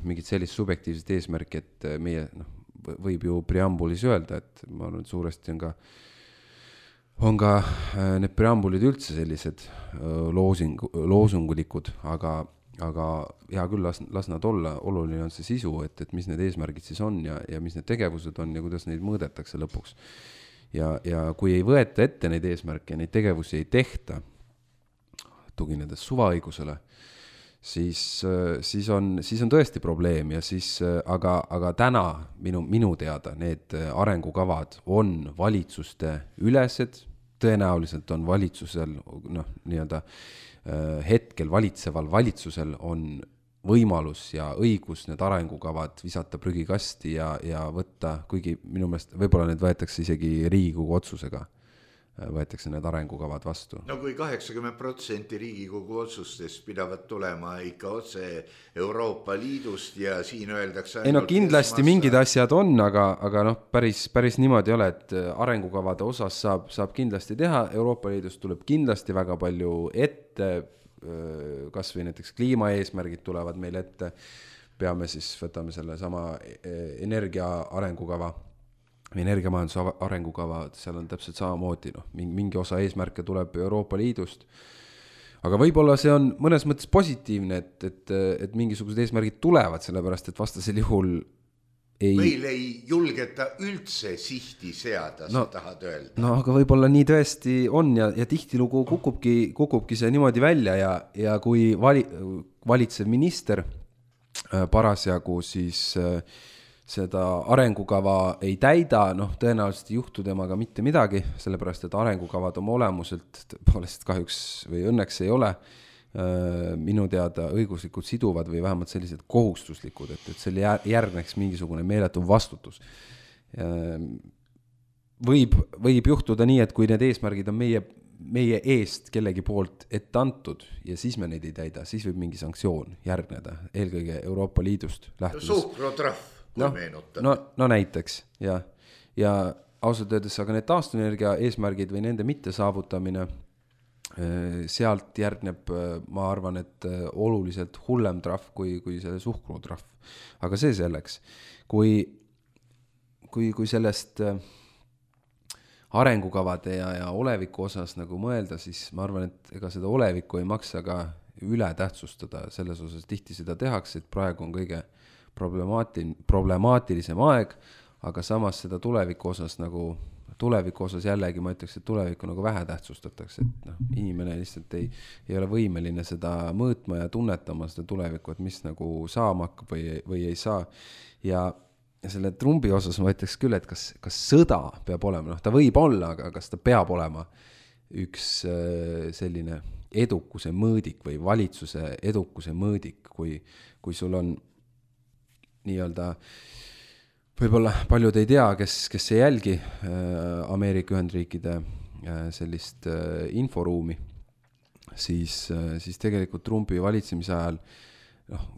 mingid sellist subjektiivset eesmärki, et meie võib ju preambulis öelda, et ma arvan, et suuresti on ka need preambulid üldse sellised loosungulikud, aga hea küll, las nad olla, oluline on see sisu, et mis need eesmärgid siis on ja mis need tegevused on ja kuidas neid mõõdetakse lõpuks. Ja kui ei võeta ette neid eesmärke ja neid tegevusi ei tehta, tuginedes suvaõigusele, siis on tõesti probleem ja siis, aga täna minu teada need arengukavad on valitsuste ülesed, tõenäoliselt on valitsusel nii-öelda hetkel valitseval valitsusel on võimalus ja õigus need arengukavad visata prügikasti ja võtta, kuigi minu meelest võib-olla need võetakse isegi Riigikogu otsusega võetakse need arengukavad vastu. No kui 80% Riigikogu otsustest pidavad tulema ikka otse Euroopa Liidust ja siin öeldakse ei no kindlasti mingid asjad on, aga noh, päris niimoodi ei ole, et arengukavade osas saab kindlasti teha, Euroopa Liidust tuleb kindlasti väga palju ette, kas või näiteks kliimaeesmärgid tulevad meil ette, peame siis, võtame selle sama energia arengukava, energiamajanduse arengukava, seal on täpselt samamoodi, mingi osa eesmärke tuleb Euroopa Liidust, aga võib-olla see on mõnes mõttes positiivne, et mingisugused eesmärgid tulevad, sellepärast, et vastasel juhul meil ei julgeta üldse sihti seada, sa tahad öelda. No aga võib-olla nii tõesti on ja tihtilugu kukubki see niimoodi välja ja kui valitsev minister parasjagu siis seda arengukava ei täida, tõenäoliselt ei juhtu temaga mitte midagi, sellepärast, et arengukavad oma olemuselt poolest kahjuks või õnneks ei ole minu teada õiguslikult siduvad või vähemalt sellised kohustuslikud, et selle järgneks mingisugune meeletu vastutus. Võib juhtuda nii, et kui need eesmärgid on meie eest kellegi poolt ette antud ja siis me neid ei täida, siis võib mingi sanktsioon järgneda, eelkõige Euroopa Liidust lähtudes. Suhkrutrahv. No näiteks, ja ausalt öeldes, aga need taastuvenergia eesmärgid või nende mitte saavutamine, sealt järgneb, ma arvan, et oluliselt hullem trahv kui selle suhkrutrahv. Aga see selleks, kui sellest arengukavade ja oleviku osas nagu mõelda, siis ma arvan, et ega seda olevikku ei maksa ka üle tähtsustada, selles osas tihti seda tehakse, et praegu on kõige problemaatilisem aeg, aga samas seda tuleviku osas jällegi ma ütleks, et tulevikku nagu vähe tähtsustatakse, et inimene lihtsalt ei ole võimeline seda mõõtma ja tunnetama seda tulevikku, et mis nagu saama hakkab või ei saa. Ja selle Trumpi osas ma ütleks küll, et kas sõda peab olema, ta võib olla, aga kas ta peab olema üks selline edukuse mõõdik või valitsuse edukuse mõõdik, kui sul on nii-öelda, võib-olla paljud ei tea, kes ei jälgi Ameerika Ühendriikide sellist inforuumi, siis tegelikult Trumpi valitsemise ajal,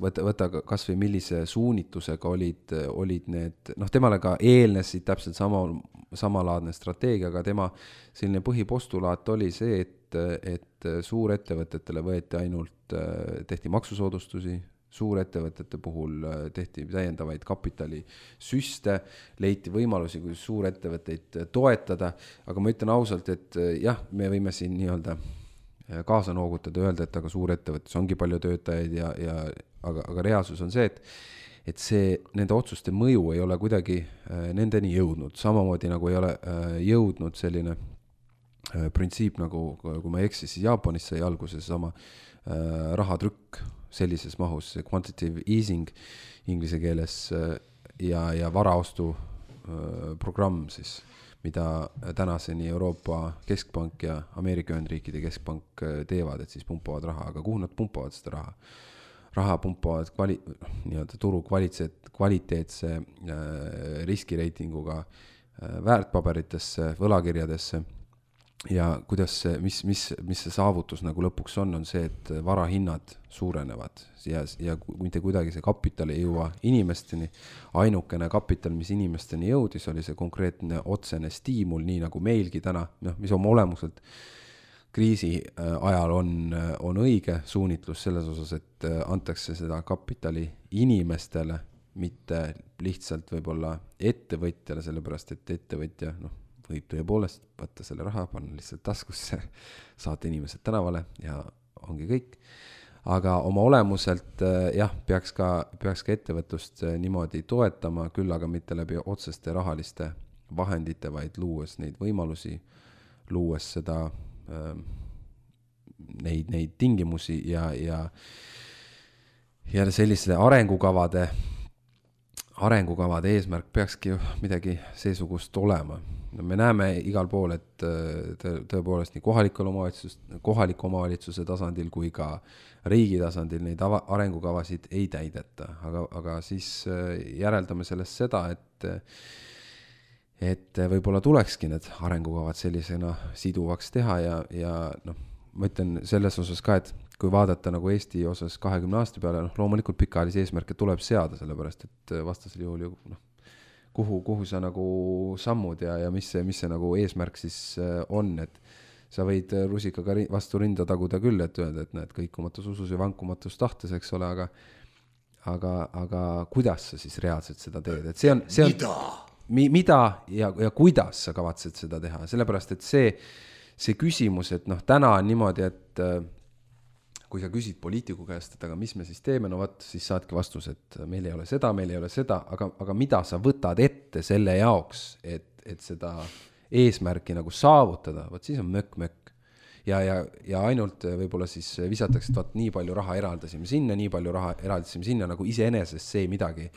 võta kas või millise suunitlusega olid need, temale ka eelnesid täpselt samalaadne strateegia, aga tema selline põhipostulaat oli see, et suurettevõtetele tehti maksusoodustusi, suurettevõtete puhul tehti täiendavaid kapitalisüste, leiti võimalusi, kui suurettevõtteid toetada, aga ma ütlen ausalt, et jah, me võime siin nii-öelda kaasa noogutada ja öelda, et aga suurettevõttes ongi palju töötajaid aga reaalsus on see, et see nende otsuste mõju ei ole kuidagi nendeni jõudnud, samamoodi nagu ei ole jõudnud selline printsiip, nagu kui ma ei eksi, siis Jaapanis sai alguse sama rahatrükk sellises mahus, quantitative easing inglise keeles ja varaostu programm siis, mida tänaseni Euroopa Keskpank ja Ameerika Ühendriikide Keskpank teevad, et siis pumpavad raha, aga kuhu nad pumpavad seda raha? Raha pumpavad nii-öelda turu kvaliteetse riskireitinguga väärtpaberitesse, võlakirjadesse ja mis see saavutus nagu lõpuks on see, et varahinnad suurenevad ja mitte kuidagi see kapital ei jõua inimesteni. Ainukene kapital, mis inimesteni jõudis, oli see konkreetne otsene stiimul, nii nagu meilgi täna, mis oma olemuselt kriisi ajal on õige suunitlus selles osas, et antakse seda kapitali inimestele, mitte lihtsalt võib-olla ettevõtjale, sellepärast et ettevõtja võib tõepoolest võtta selle raha, panna lihtsalt taskusse, saata inimesed tänavale ja ongi kõik. Aga oma olemuselt peaks ka ettevõtlust niimoodi toetama, küll aga mitte läbi otseste rahaliste vahendite, vaid luues neid võimalusi, luues seda neid tingimusi ja selliste arengukavade eesmärk peakski ju midagi seesugust olema. Me näeme igal pool, et tõepoolest nii kohaliku omavalitsuse tasandil kui ka riigi tasandil neid arengukavasid ei täideta, aga siis järeldame sellest seda, et võib-olla tulekski need arengukavad sellisena siduvaks teha ja noh, ma ütlen selles osas ka, et kui vaadata nagu Eesti osas 20 aasta peale, loomulikult pikaajalisi eesmärke tuleb seada, sellepärast et vastasel juhul ju kuhu sa nagu sammud ja mis see nagu eesmärk siis on, et sa võid rusikaga vastu rinda taguda küll, et öelda, et näed, kõikumatus usus ja vankumatus tahtes, eks ole, aga kuidas sa siis reaalselt seda teed, et see on mida ja kuidas sa kavatsed seda teha, sellepärast, et see küsimus, et täna on niimoodi, et kui sa küsid poliitiku käest, et aga mis me siis teeme, siis saadki vastus, et meil ei ole seda, aga mida sa võtad ette selle jaoks, et seda eesmärki nagu saavutada, siis on mökk. Ja ainult võib-olla siis visatakse, et nii palju raha eraldasime sinna, nii palju raha eraldasime sinna, nagu iseenesest see midagi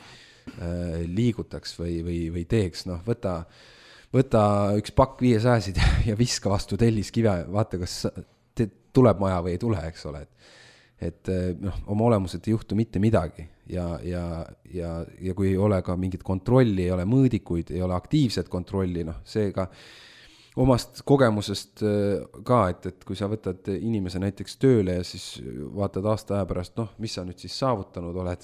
liigutaks või teeks, võta üks pakk 500-sid ja viska vastu telliskive, vaata, kas tuleb maja või ei tule, eks ole, et oma olemuselt ei juhtu mitte midagi ja kui ei ole ka mingit kontrolli, ei ole mõõdikuid, ei ole aktiivset kontrolli, seega omast kogemusest ka, et kui sa võtad inimese näiteks tööle ja siis vaatad aasta aja pärast, mis sa nüüd siis saavutanud oled,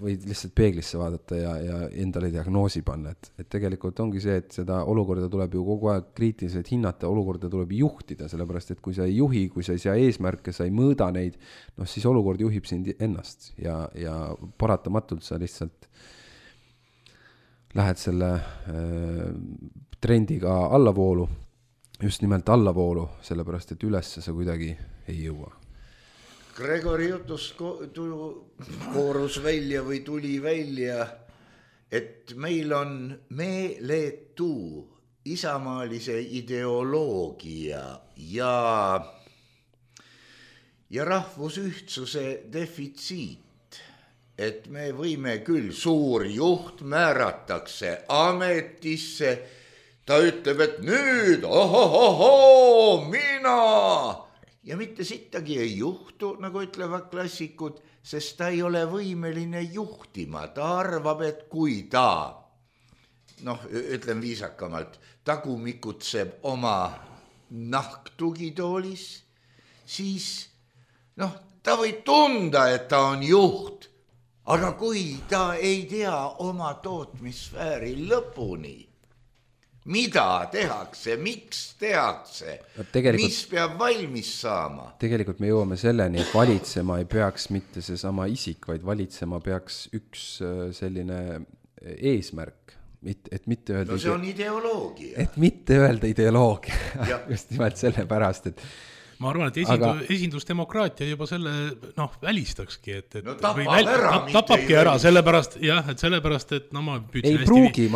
võid lihtsalt peeglisse vaadata ja endale diagnoosi panna, et tegelikult ongi see, et seda olukorda tuleb ju kogu aeg kriitiliselt hinnata, olukorda tuleb juhtida, sellepärast et kui sa ei juhi, kui sa ei sea eesmärke, sa ei mõõda neid, siis olukord juhib sind ennast ja paratamatult sa lihtsalt lähed selle trendiga allavoolu, just nimelt allavoolu, sellepärast et üles sa kuidagi ei jõua. Gregori jutust koorus välja või tuli välja, et meil on meeletu isamaalise ideoloogia ja rahvusühtsuse defitsiit, et me võime küll, suur juht määratakse ametisse, ta ütleb, et nüüd, mina, ja mitte sittagi ei juhtu, nagu ütlevad klassikud, sest ta ei ole võimeline juhtima, ta arvab, et kui ta, ütlen viisakamalt, tagumikutseb oma nahktugitoolis, siis ta võib tunda, et ta on juht, aga kui ta ei tea oma tootmissfääri lõpuni, mida tehakse, miks tehakse, mis peab valmis saama. Tegelikult me jõuame selleni, et valitsema ei peaks mitte seesama isik, vaid valitsema peaks üks selline eesmärk, et mitte öelda... see on ideoloogia. Et mitte öelda ideoloogia, just nimelt selle pärast, et ma arvan, et esindusdemokraatia juba selle välistakski, et tapabki ära, sellepärast, et ma püüdsin ei pruugi,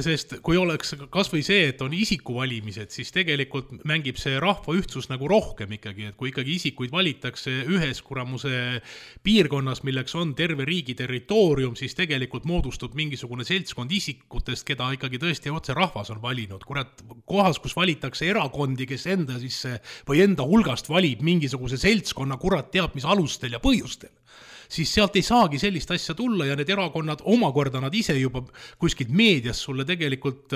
sest kui oleks kas või see, et on isikuvalimised, siis tegelikult mängib see rahva ühtsus nagu rohkem ikkagi, et kui ikkagi isikuid valitakse ühes kuramuse piirkonnas, milleks on terve riigi territoorium, siis tegelikult moodustub mingisugune seltskond isikutest, keda ikkagi tõesti otse rahvas on valinud. Kurat, kohas, kus valitakse erakondi, kes enda sisse või enda hulgast valib mingisuguse seltskonna, kurat teab mis alustel ja põhjustel, siis sealt ei saagi sellist asja tulla ja need erakonnad omakorda nad ise juba kuskilt meedias sulle tegelikult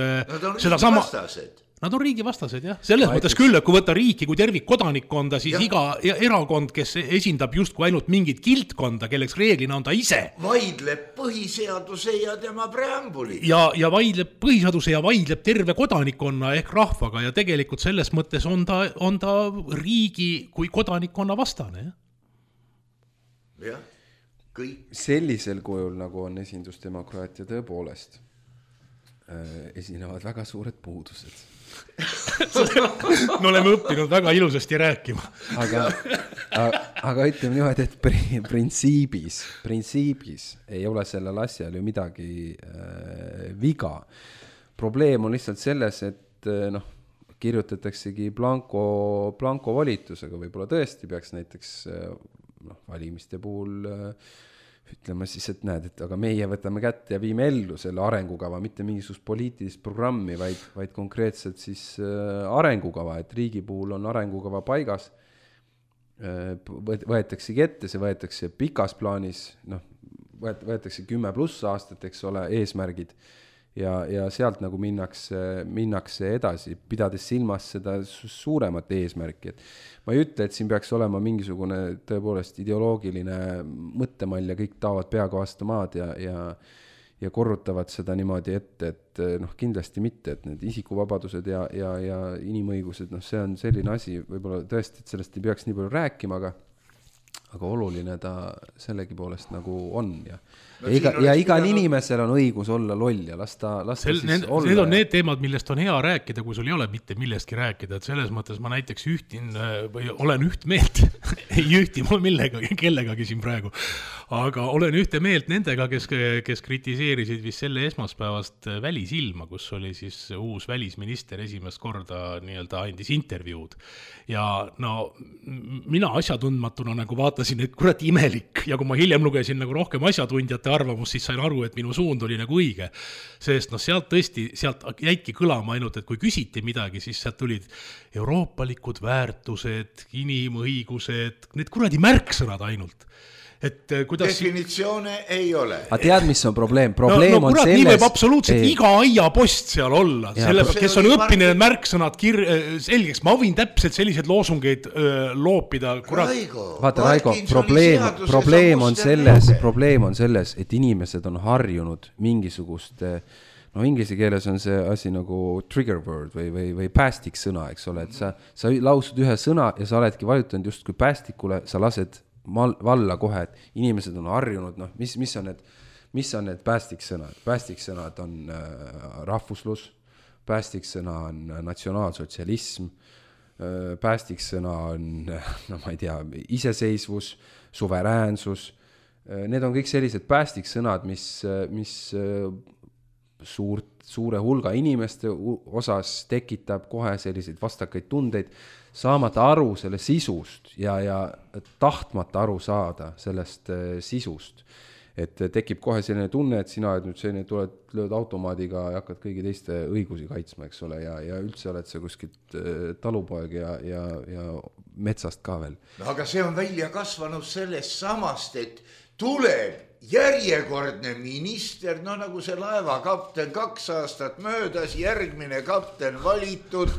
Nad on riigi vastased, jah. Selles mõttes küll, et kui võtta riiki kui tervik kodanikkonda, siis iga erakond, kes esindab justkui ainult mingit kiltkonda, kelleks reeglina on ta ise. Vaidleb põhiseaduse ja tema preambuli. Ja vaidleb põhiseaduse ja vaidleb terve kodanikkonna ehk rahvaga ja tegelikult selles mõttes on ta riigi kui kodanikkonna vastane, jah. Jah, kõik. Sellisel kujul, nagu on esindusdemokraatia tõepoolest, esinevad väga suured puudused. Me oleme õppinud väga ilusasti rääkima. Aga ütleme niimoodi, et printsiibis ei ole sellel asjal ju midagi viga. Probleem on lihtsalt selles, et kirjutataksegi blanko volitusega, võib-olla tõesti peaks näiteks valimiste puhul ütleme siis, et näed, et aga meie võtame kätte ja viime ellu selle arengukava, mitte mingisugust poliitilist programmi, vaid konkreetselt siis arengukava, et riigi puhul on arengukava paigas, võetaksegi ette, see võetakse pikas plaanis, võetakse 10+ aastat, eks ole, eesmärgid ja sealt nagu minnakse edasi, pidades silmas seda suuremat eesmärki, et ma ei ütle, et siin peaks olema mingisugune tõepoolest ideoloogiline mõttemall ja kõik taavad peaga vastu maad ja korrutavad seda niimoodi ette, et kindlasti mitte, et need isikuvabadused ja inimõigused, see on selline asi, võib-olla tõesti, et sellest ei peaks nii palju rääkima, aga oluline ta sellegi poolest nagu on ja igal inimesel on õigus olla loll ja las ta siis olla. Need on need teemad, millest on hea rääkida, kui sul ei ole mitte millestki rääkida, et selles mõttes ma näiteks ühtin või olen üht meelt, ei ühti ma kellegagi siin praegu, aga olen ühte meelt nendega, kes kritiseerisid vist selle esmaspäevast Välisilma, kus oli siis uus välisminister esimest korda nii-öelda andis intervjuud ja mina asjatundmatuna nagu vaatasin, et kurat imelik ja kui ma hiljem lugesin nagu rohkem asjatundjate arvamust, siis sain aru, et minu suund oli nagu õige. Sest sealt jäidki kõlama ainult, et kui küsiti midagi, siis sealt tulid euroopalikud väärtused, inimõigused, need kuradi märksõnad ainult. Et kuidas definitsioone ei ole. Aga tead, mis on probleem? Probleem on kurat, selles... Nii võib absoluutselt iga aiapost seal olla. Kes on õppinud need märksõnad selgeks. Ma võin täpselt selliseid loosungeid loopida. Vaata, Raigo, probleem on selles, et inimesed on harjunud mingisugust... inglise keeles on see asi nagu trigger word või päästik sõna, eks ole, et sa lausud ühe sõna ja sa oledki vajutanud just kui päästikule, sa lased valla kohe, et inimesed on harjunud, mis on need päästiksõnad? Päästiksõnad on rahvuslus, päästiksõna on natsionaalsotsialism, päästiksõna on, ma ei tea, iseseisvus, suveräänsus. Need on kõik sellised päästiksõnad, mis suure hulga inimeste osas tekitab kohe selliseid vastakaid tundeid, saamata aru selle sisust ja tahtmata aru saada sellest sisust. Et tekib kohe selline tunne, et sina nüüd selline lööd automaadiga ja hakkad kõigi teiste õigusi kaitsma, eks ole, ja üldse oled sa kuskilt talupoeg ja metsast ka veel. Aga see on välja kasvanud sellest samast, et tuleb järjekordne minister, nagu see laevakapten 2 aastat möödas, järgmine kapten valitud,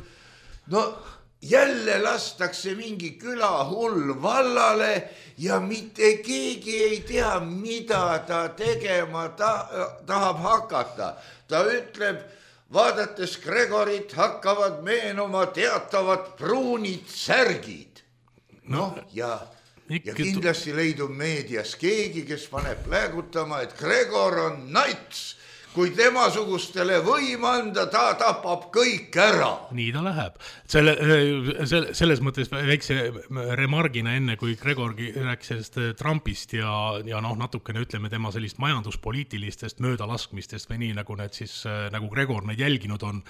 jälle lastakse mingi külahull vallale ja mitte keegi ei tea, mida ta tegema tahab hakata. Ta ütleb, vaadates Gregorit hakkavad meenuma teatavad pruunid särgid. Ja kindlasti leidub meedias keegi, kes paneb pläägutama, et Gregor on nats. Kui temasugustele võim anda, ta tapab kõik ära. Nii ta läheb. Selles mõttes väikse remargina enne, kui Gregorgi rääkis sellest Trumpist ja natukene ütleme tema sellist majanduspoliitilistest möödalaskmistest või nii, nagu need siis, nagu Gregor neid jälginud on.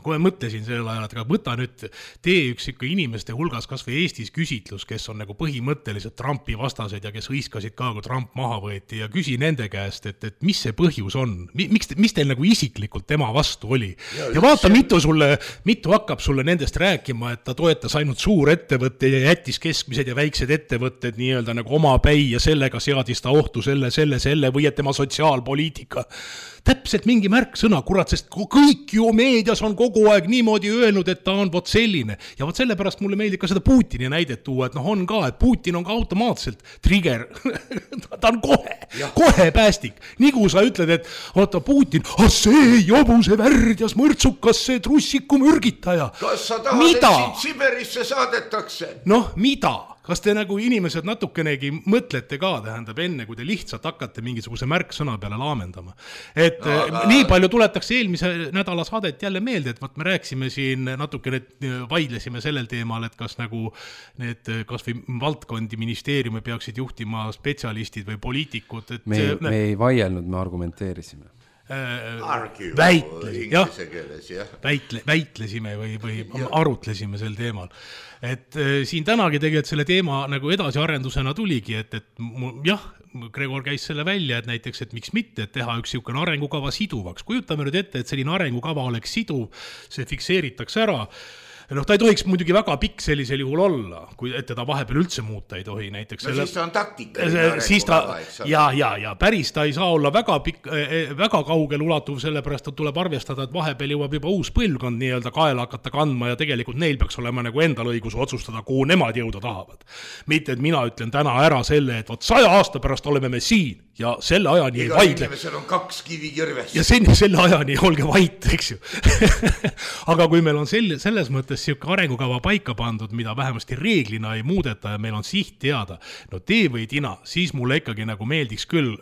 Kui ma mõtlesin sellel ajal, et võta nüüd, tee üks inimeste hulgas kas või Eestis küsitlus, kes on nagu põhimõtteliselt Trumpi vastased ja kes hõiskasid ka, kui Trump maha võeti ja küsi nende käest, et mis see põhjus on, mis teil nagu isiklikult tema vastu oli. Ja vaata, mitu hakkab sulle nendest rääkima, et ta toetas ainult suurettevõtte ja jättis keskmised ja väiksed ettevõtted nii-öelda nagu oma päi ja sellega seadis ta ohtu selle või et tema sotsiaalpoliitika. Täpselt mingi märksõna, kurat, sest kõik ju meedias on kogu aeg niimoodi öelnud, et ta on vot selline. Ja vot sellepärast mulle meeldib ka seda Putini näidet tuua, et on ka, et Putin on ka automaatselt trigger. Ta on kohe päästik. Nii kui sa ütled, et oota Putin, see jobuse värdjas mõrtsukas, see trussiku mürgitaja. Kas sa tahad, et siit Siberisse saadetakse? Mida? Kas te nagu inimesed natukenegi mõtlete ka, tähendab enne, kui te lihtsalt hakkate mingisuguse märksõna peale laamendama. Et nii palju tuletakse eelmise nädala saadet jälle meelde, et me rääksime siin natukene, vaidlesime sellel teemal, et kas nagu need kas või valdkondi ministeeriumi peaksid juhtima spetsialistid või poliitikud. Et me ei vaielnud, me argumenteerisime. Väitlesime või arutlesime sel teemal. Et siin tänagi tegelikult selle teema nagu edasiarendusena tuligi, et jah, Gregor käis selle välja, et näiteks, et miks mitte, et teha üks siukene arengukava siduvaks. Kujutame nüüd ette, et selline arengukava oleks siduv, see fikseeritakse ära. noh, ta ei tohiks muidugi väga pikk sellisel juhul olla, kui et teda vahepeal üldse muuta ei tohi, näiteks no siis ta on taktika. Siis ta, ja päris ta ei saa olla väga pikk, väga kaugel ulatuv, sellepärast et tuleb arvestada, et vahepeal jõuab juba uus põlvkond nii-öelda kaela hakata kandma ja tegelikult neil peaks olema nagu endal õigus otsustada, kuhu nemad jõuda tahavad. Mitte, et mina ütlen täna ära selle, et 100 aasta pärast oleme me siin ja selle ajani ei vaidle. Inimesel on 2 kivikirvest. Ja selle ajani olge vait, eks ju. Aga kui meil on selles mõttes siuke arengukava paika pandud, mida vähemasti reeglina ei muudeta ja meil on siht teada, no tee või tina, siis mulle ikkagi nagu meeldiks küll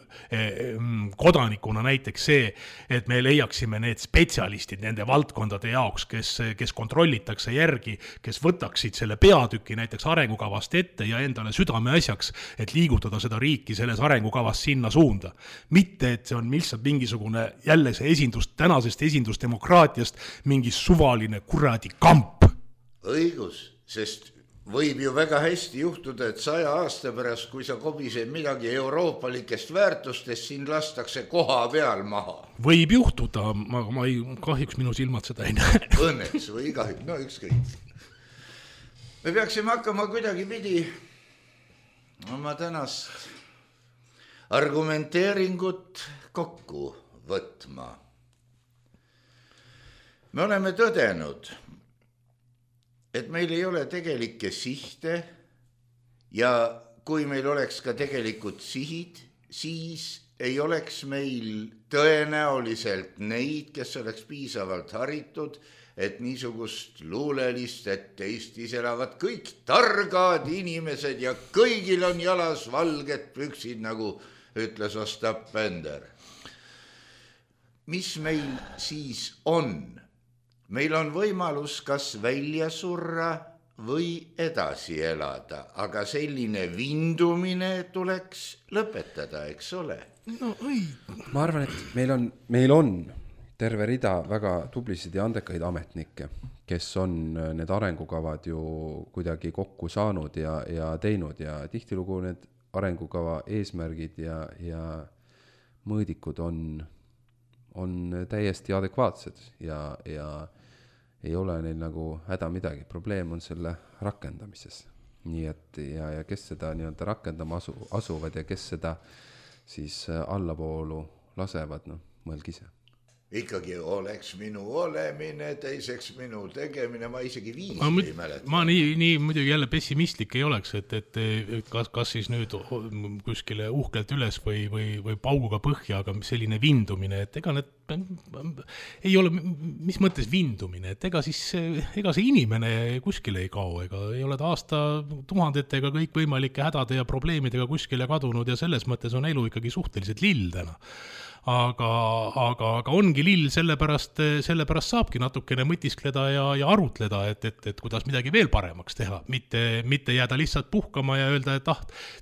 kodanikuna näiteks see, et me leiaksime need spetsialistid nende valdkondade jaoks, kes kontrollitakse järgi, kes võtaksid selle peatüki näiteks arengukavast ette ja endale südame asjaks, et liigutada seda riiki selles arengukavas sinna suunda. Mitte, et see on lihtsalt mingisugune jälle see tänasest esindusdemokraatiast mingi suvaline kuradi kamp. Õigus, sest võib ju väga hästi juhtuda, et 100 aasta pärast, kui sa kobised midagi euroopalikest väärtustest, siin lastakse koha peal maha. Võib juhtuda, ma ei, kahjuks minu silmad seda ei näe. Õnneks või kahjuks, no ükskõik. Me peaksime hakkama kuidagi pidi oma tänast argumenteeringut kokku võtma. Me oleme tõdenud, et meil ei ole tegelikke sihte ja kui meil oleks ka tegelikult sihid, siis ei oleks meil tõenäoliselt neid, kes oleks piisavalt haritud, et niisugust luulelist, et Eestis elavad kõik targad inimesed ja kõigil on jalas valged püksid, nagu ütles Ostap Bender. Mis meil siis on? Meil on võimalus kas välja surra või edasi elada, aga selline vindumine tuleks lõpetada, eks ole? No, ei. Ma arvan, et meil on terve rida väga tublisid ja andekaid ametnikke, kes on need arengukavad ju kuidagi kokku saanud ja teinud ja tihtilugu need arengukava eesmärgid ja mõõdikud on täiesti adekvaatsed ja ei ole neil nagu häda midagi. Probleem on selle rakendamises. Nii et ja kes seda nii-öelda rakendama asuvad ja kes seda siis allapoolu lasevad, mõelge ise. Ikkagi oleks minu olemine, teiseks minu tegemine, ma isegi viisi ei mäleta. Ma nii muidugi jälle pessimistlik ei oleks, et kas siis nüüd kuskile uhkelt üles või pauguga põhja, aga selline vindumine, et ega need ei ole, mis mõttes vindumine, et ega see inimene kuskile ei kao, ega ei ole ta aasta tuhandetega kõik võimalike hädade ja probleemidega kuskile kadunud ja selles mõttes on elu ikkagi suhteliselt lill täna. Aga ongi lill, sellepärast saabki natukene mõtiskleda ja arutleda, et kuidas midagi veel paremaks teha, mitte jääda lihtsalt puhkama ja öelda, et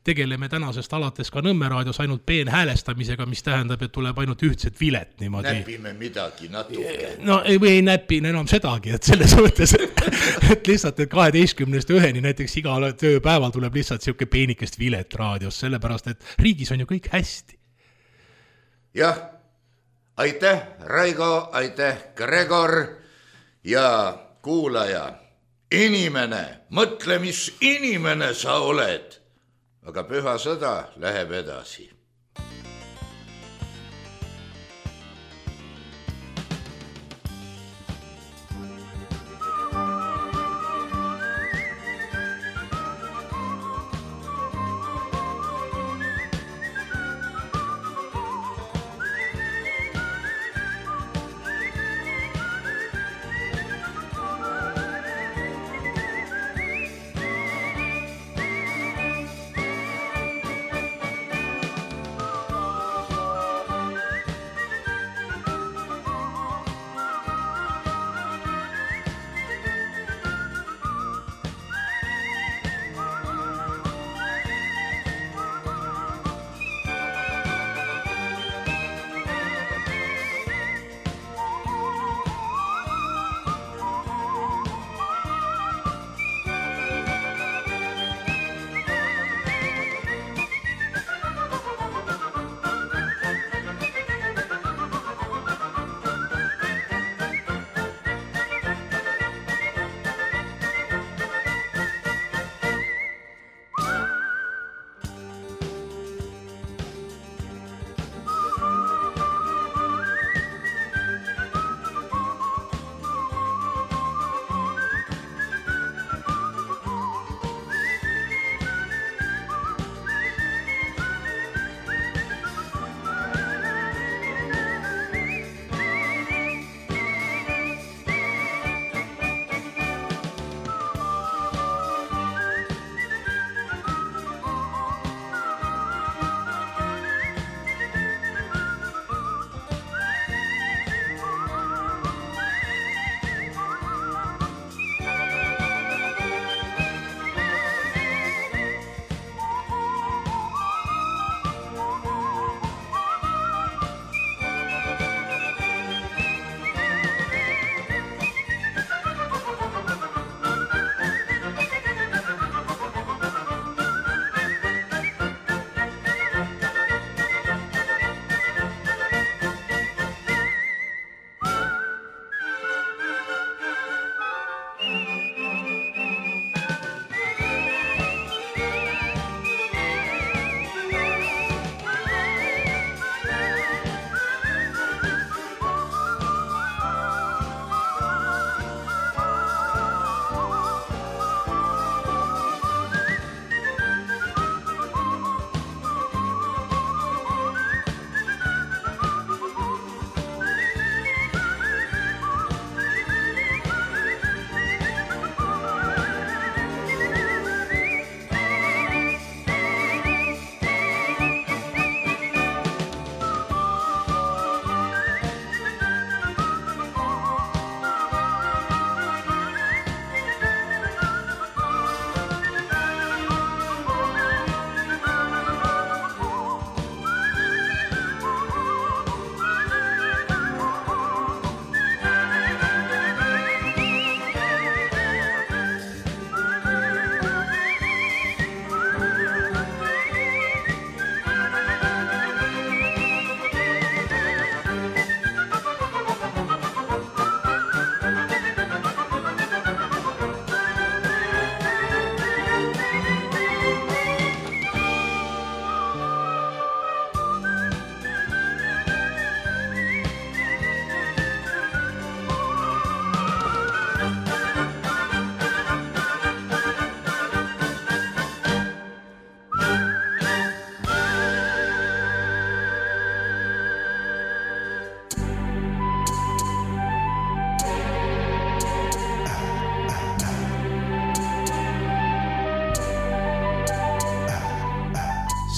tegeleme tänasest alates ka Nõmme raadios ainult peenhäälestamisega, mis tähendab, et tuleb ainult ühtset vilet niimoodi. Näpime midagi natuke. No ei näpi enam sedagi, et selles mõttes, et lihtsalt, et 12-1 näiteks iga tööpäeval tuleb lihtsalt siuke peenikest vilet raadios, sellepärast, et riigis on ju kõik hästi. Jah, aitäh Raigo, aitäh Gregor ja kuulaja. Inimene, mõtle, mis inimene sa oled, aga püha sõda läheb edasi.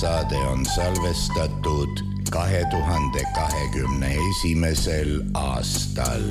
saade on salvestatud 2021. aastal.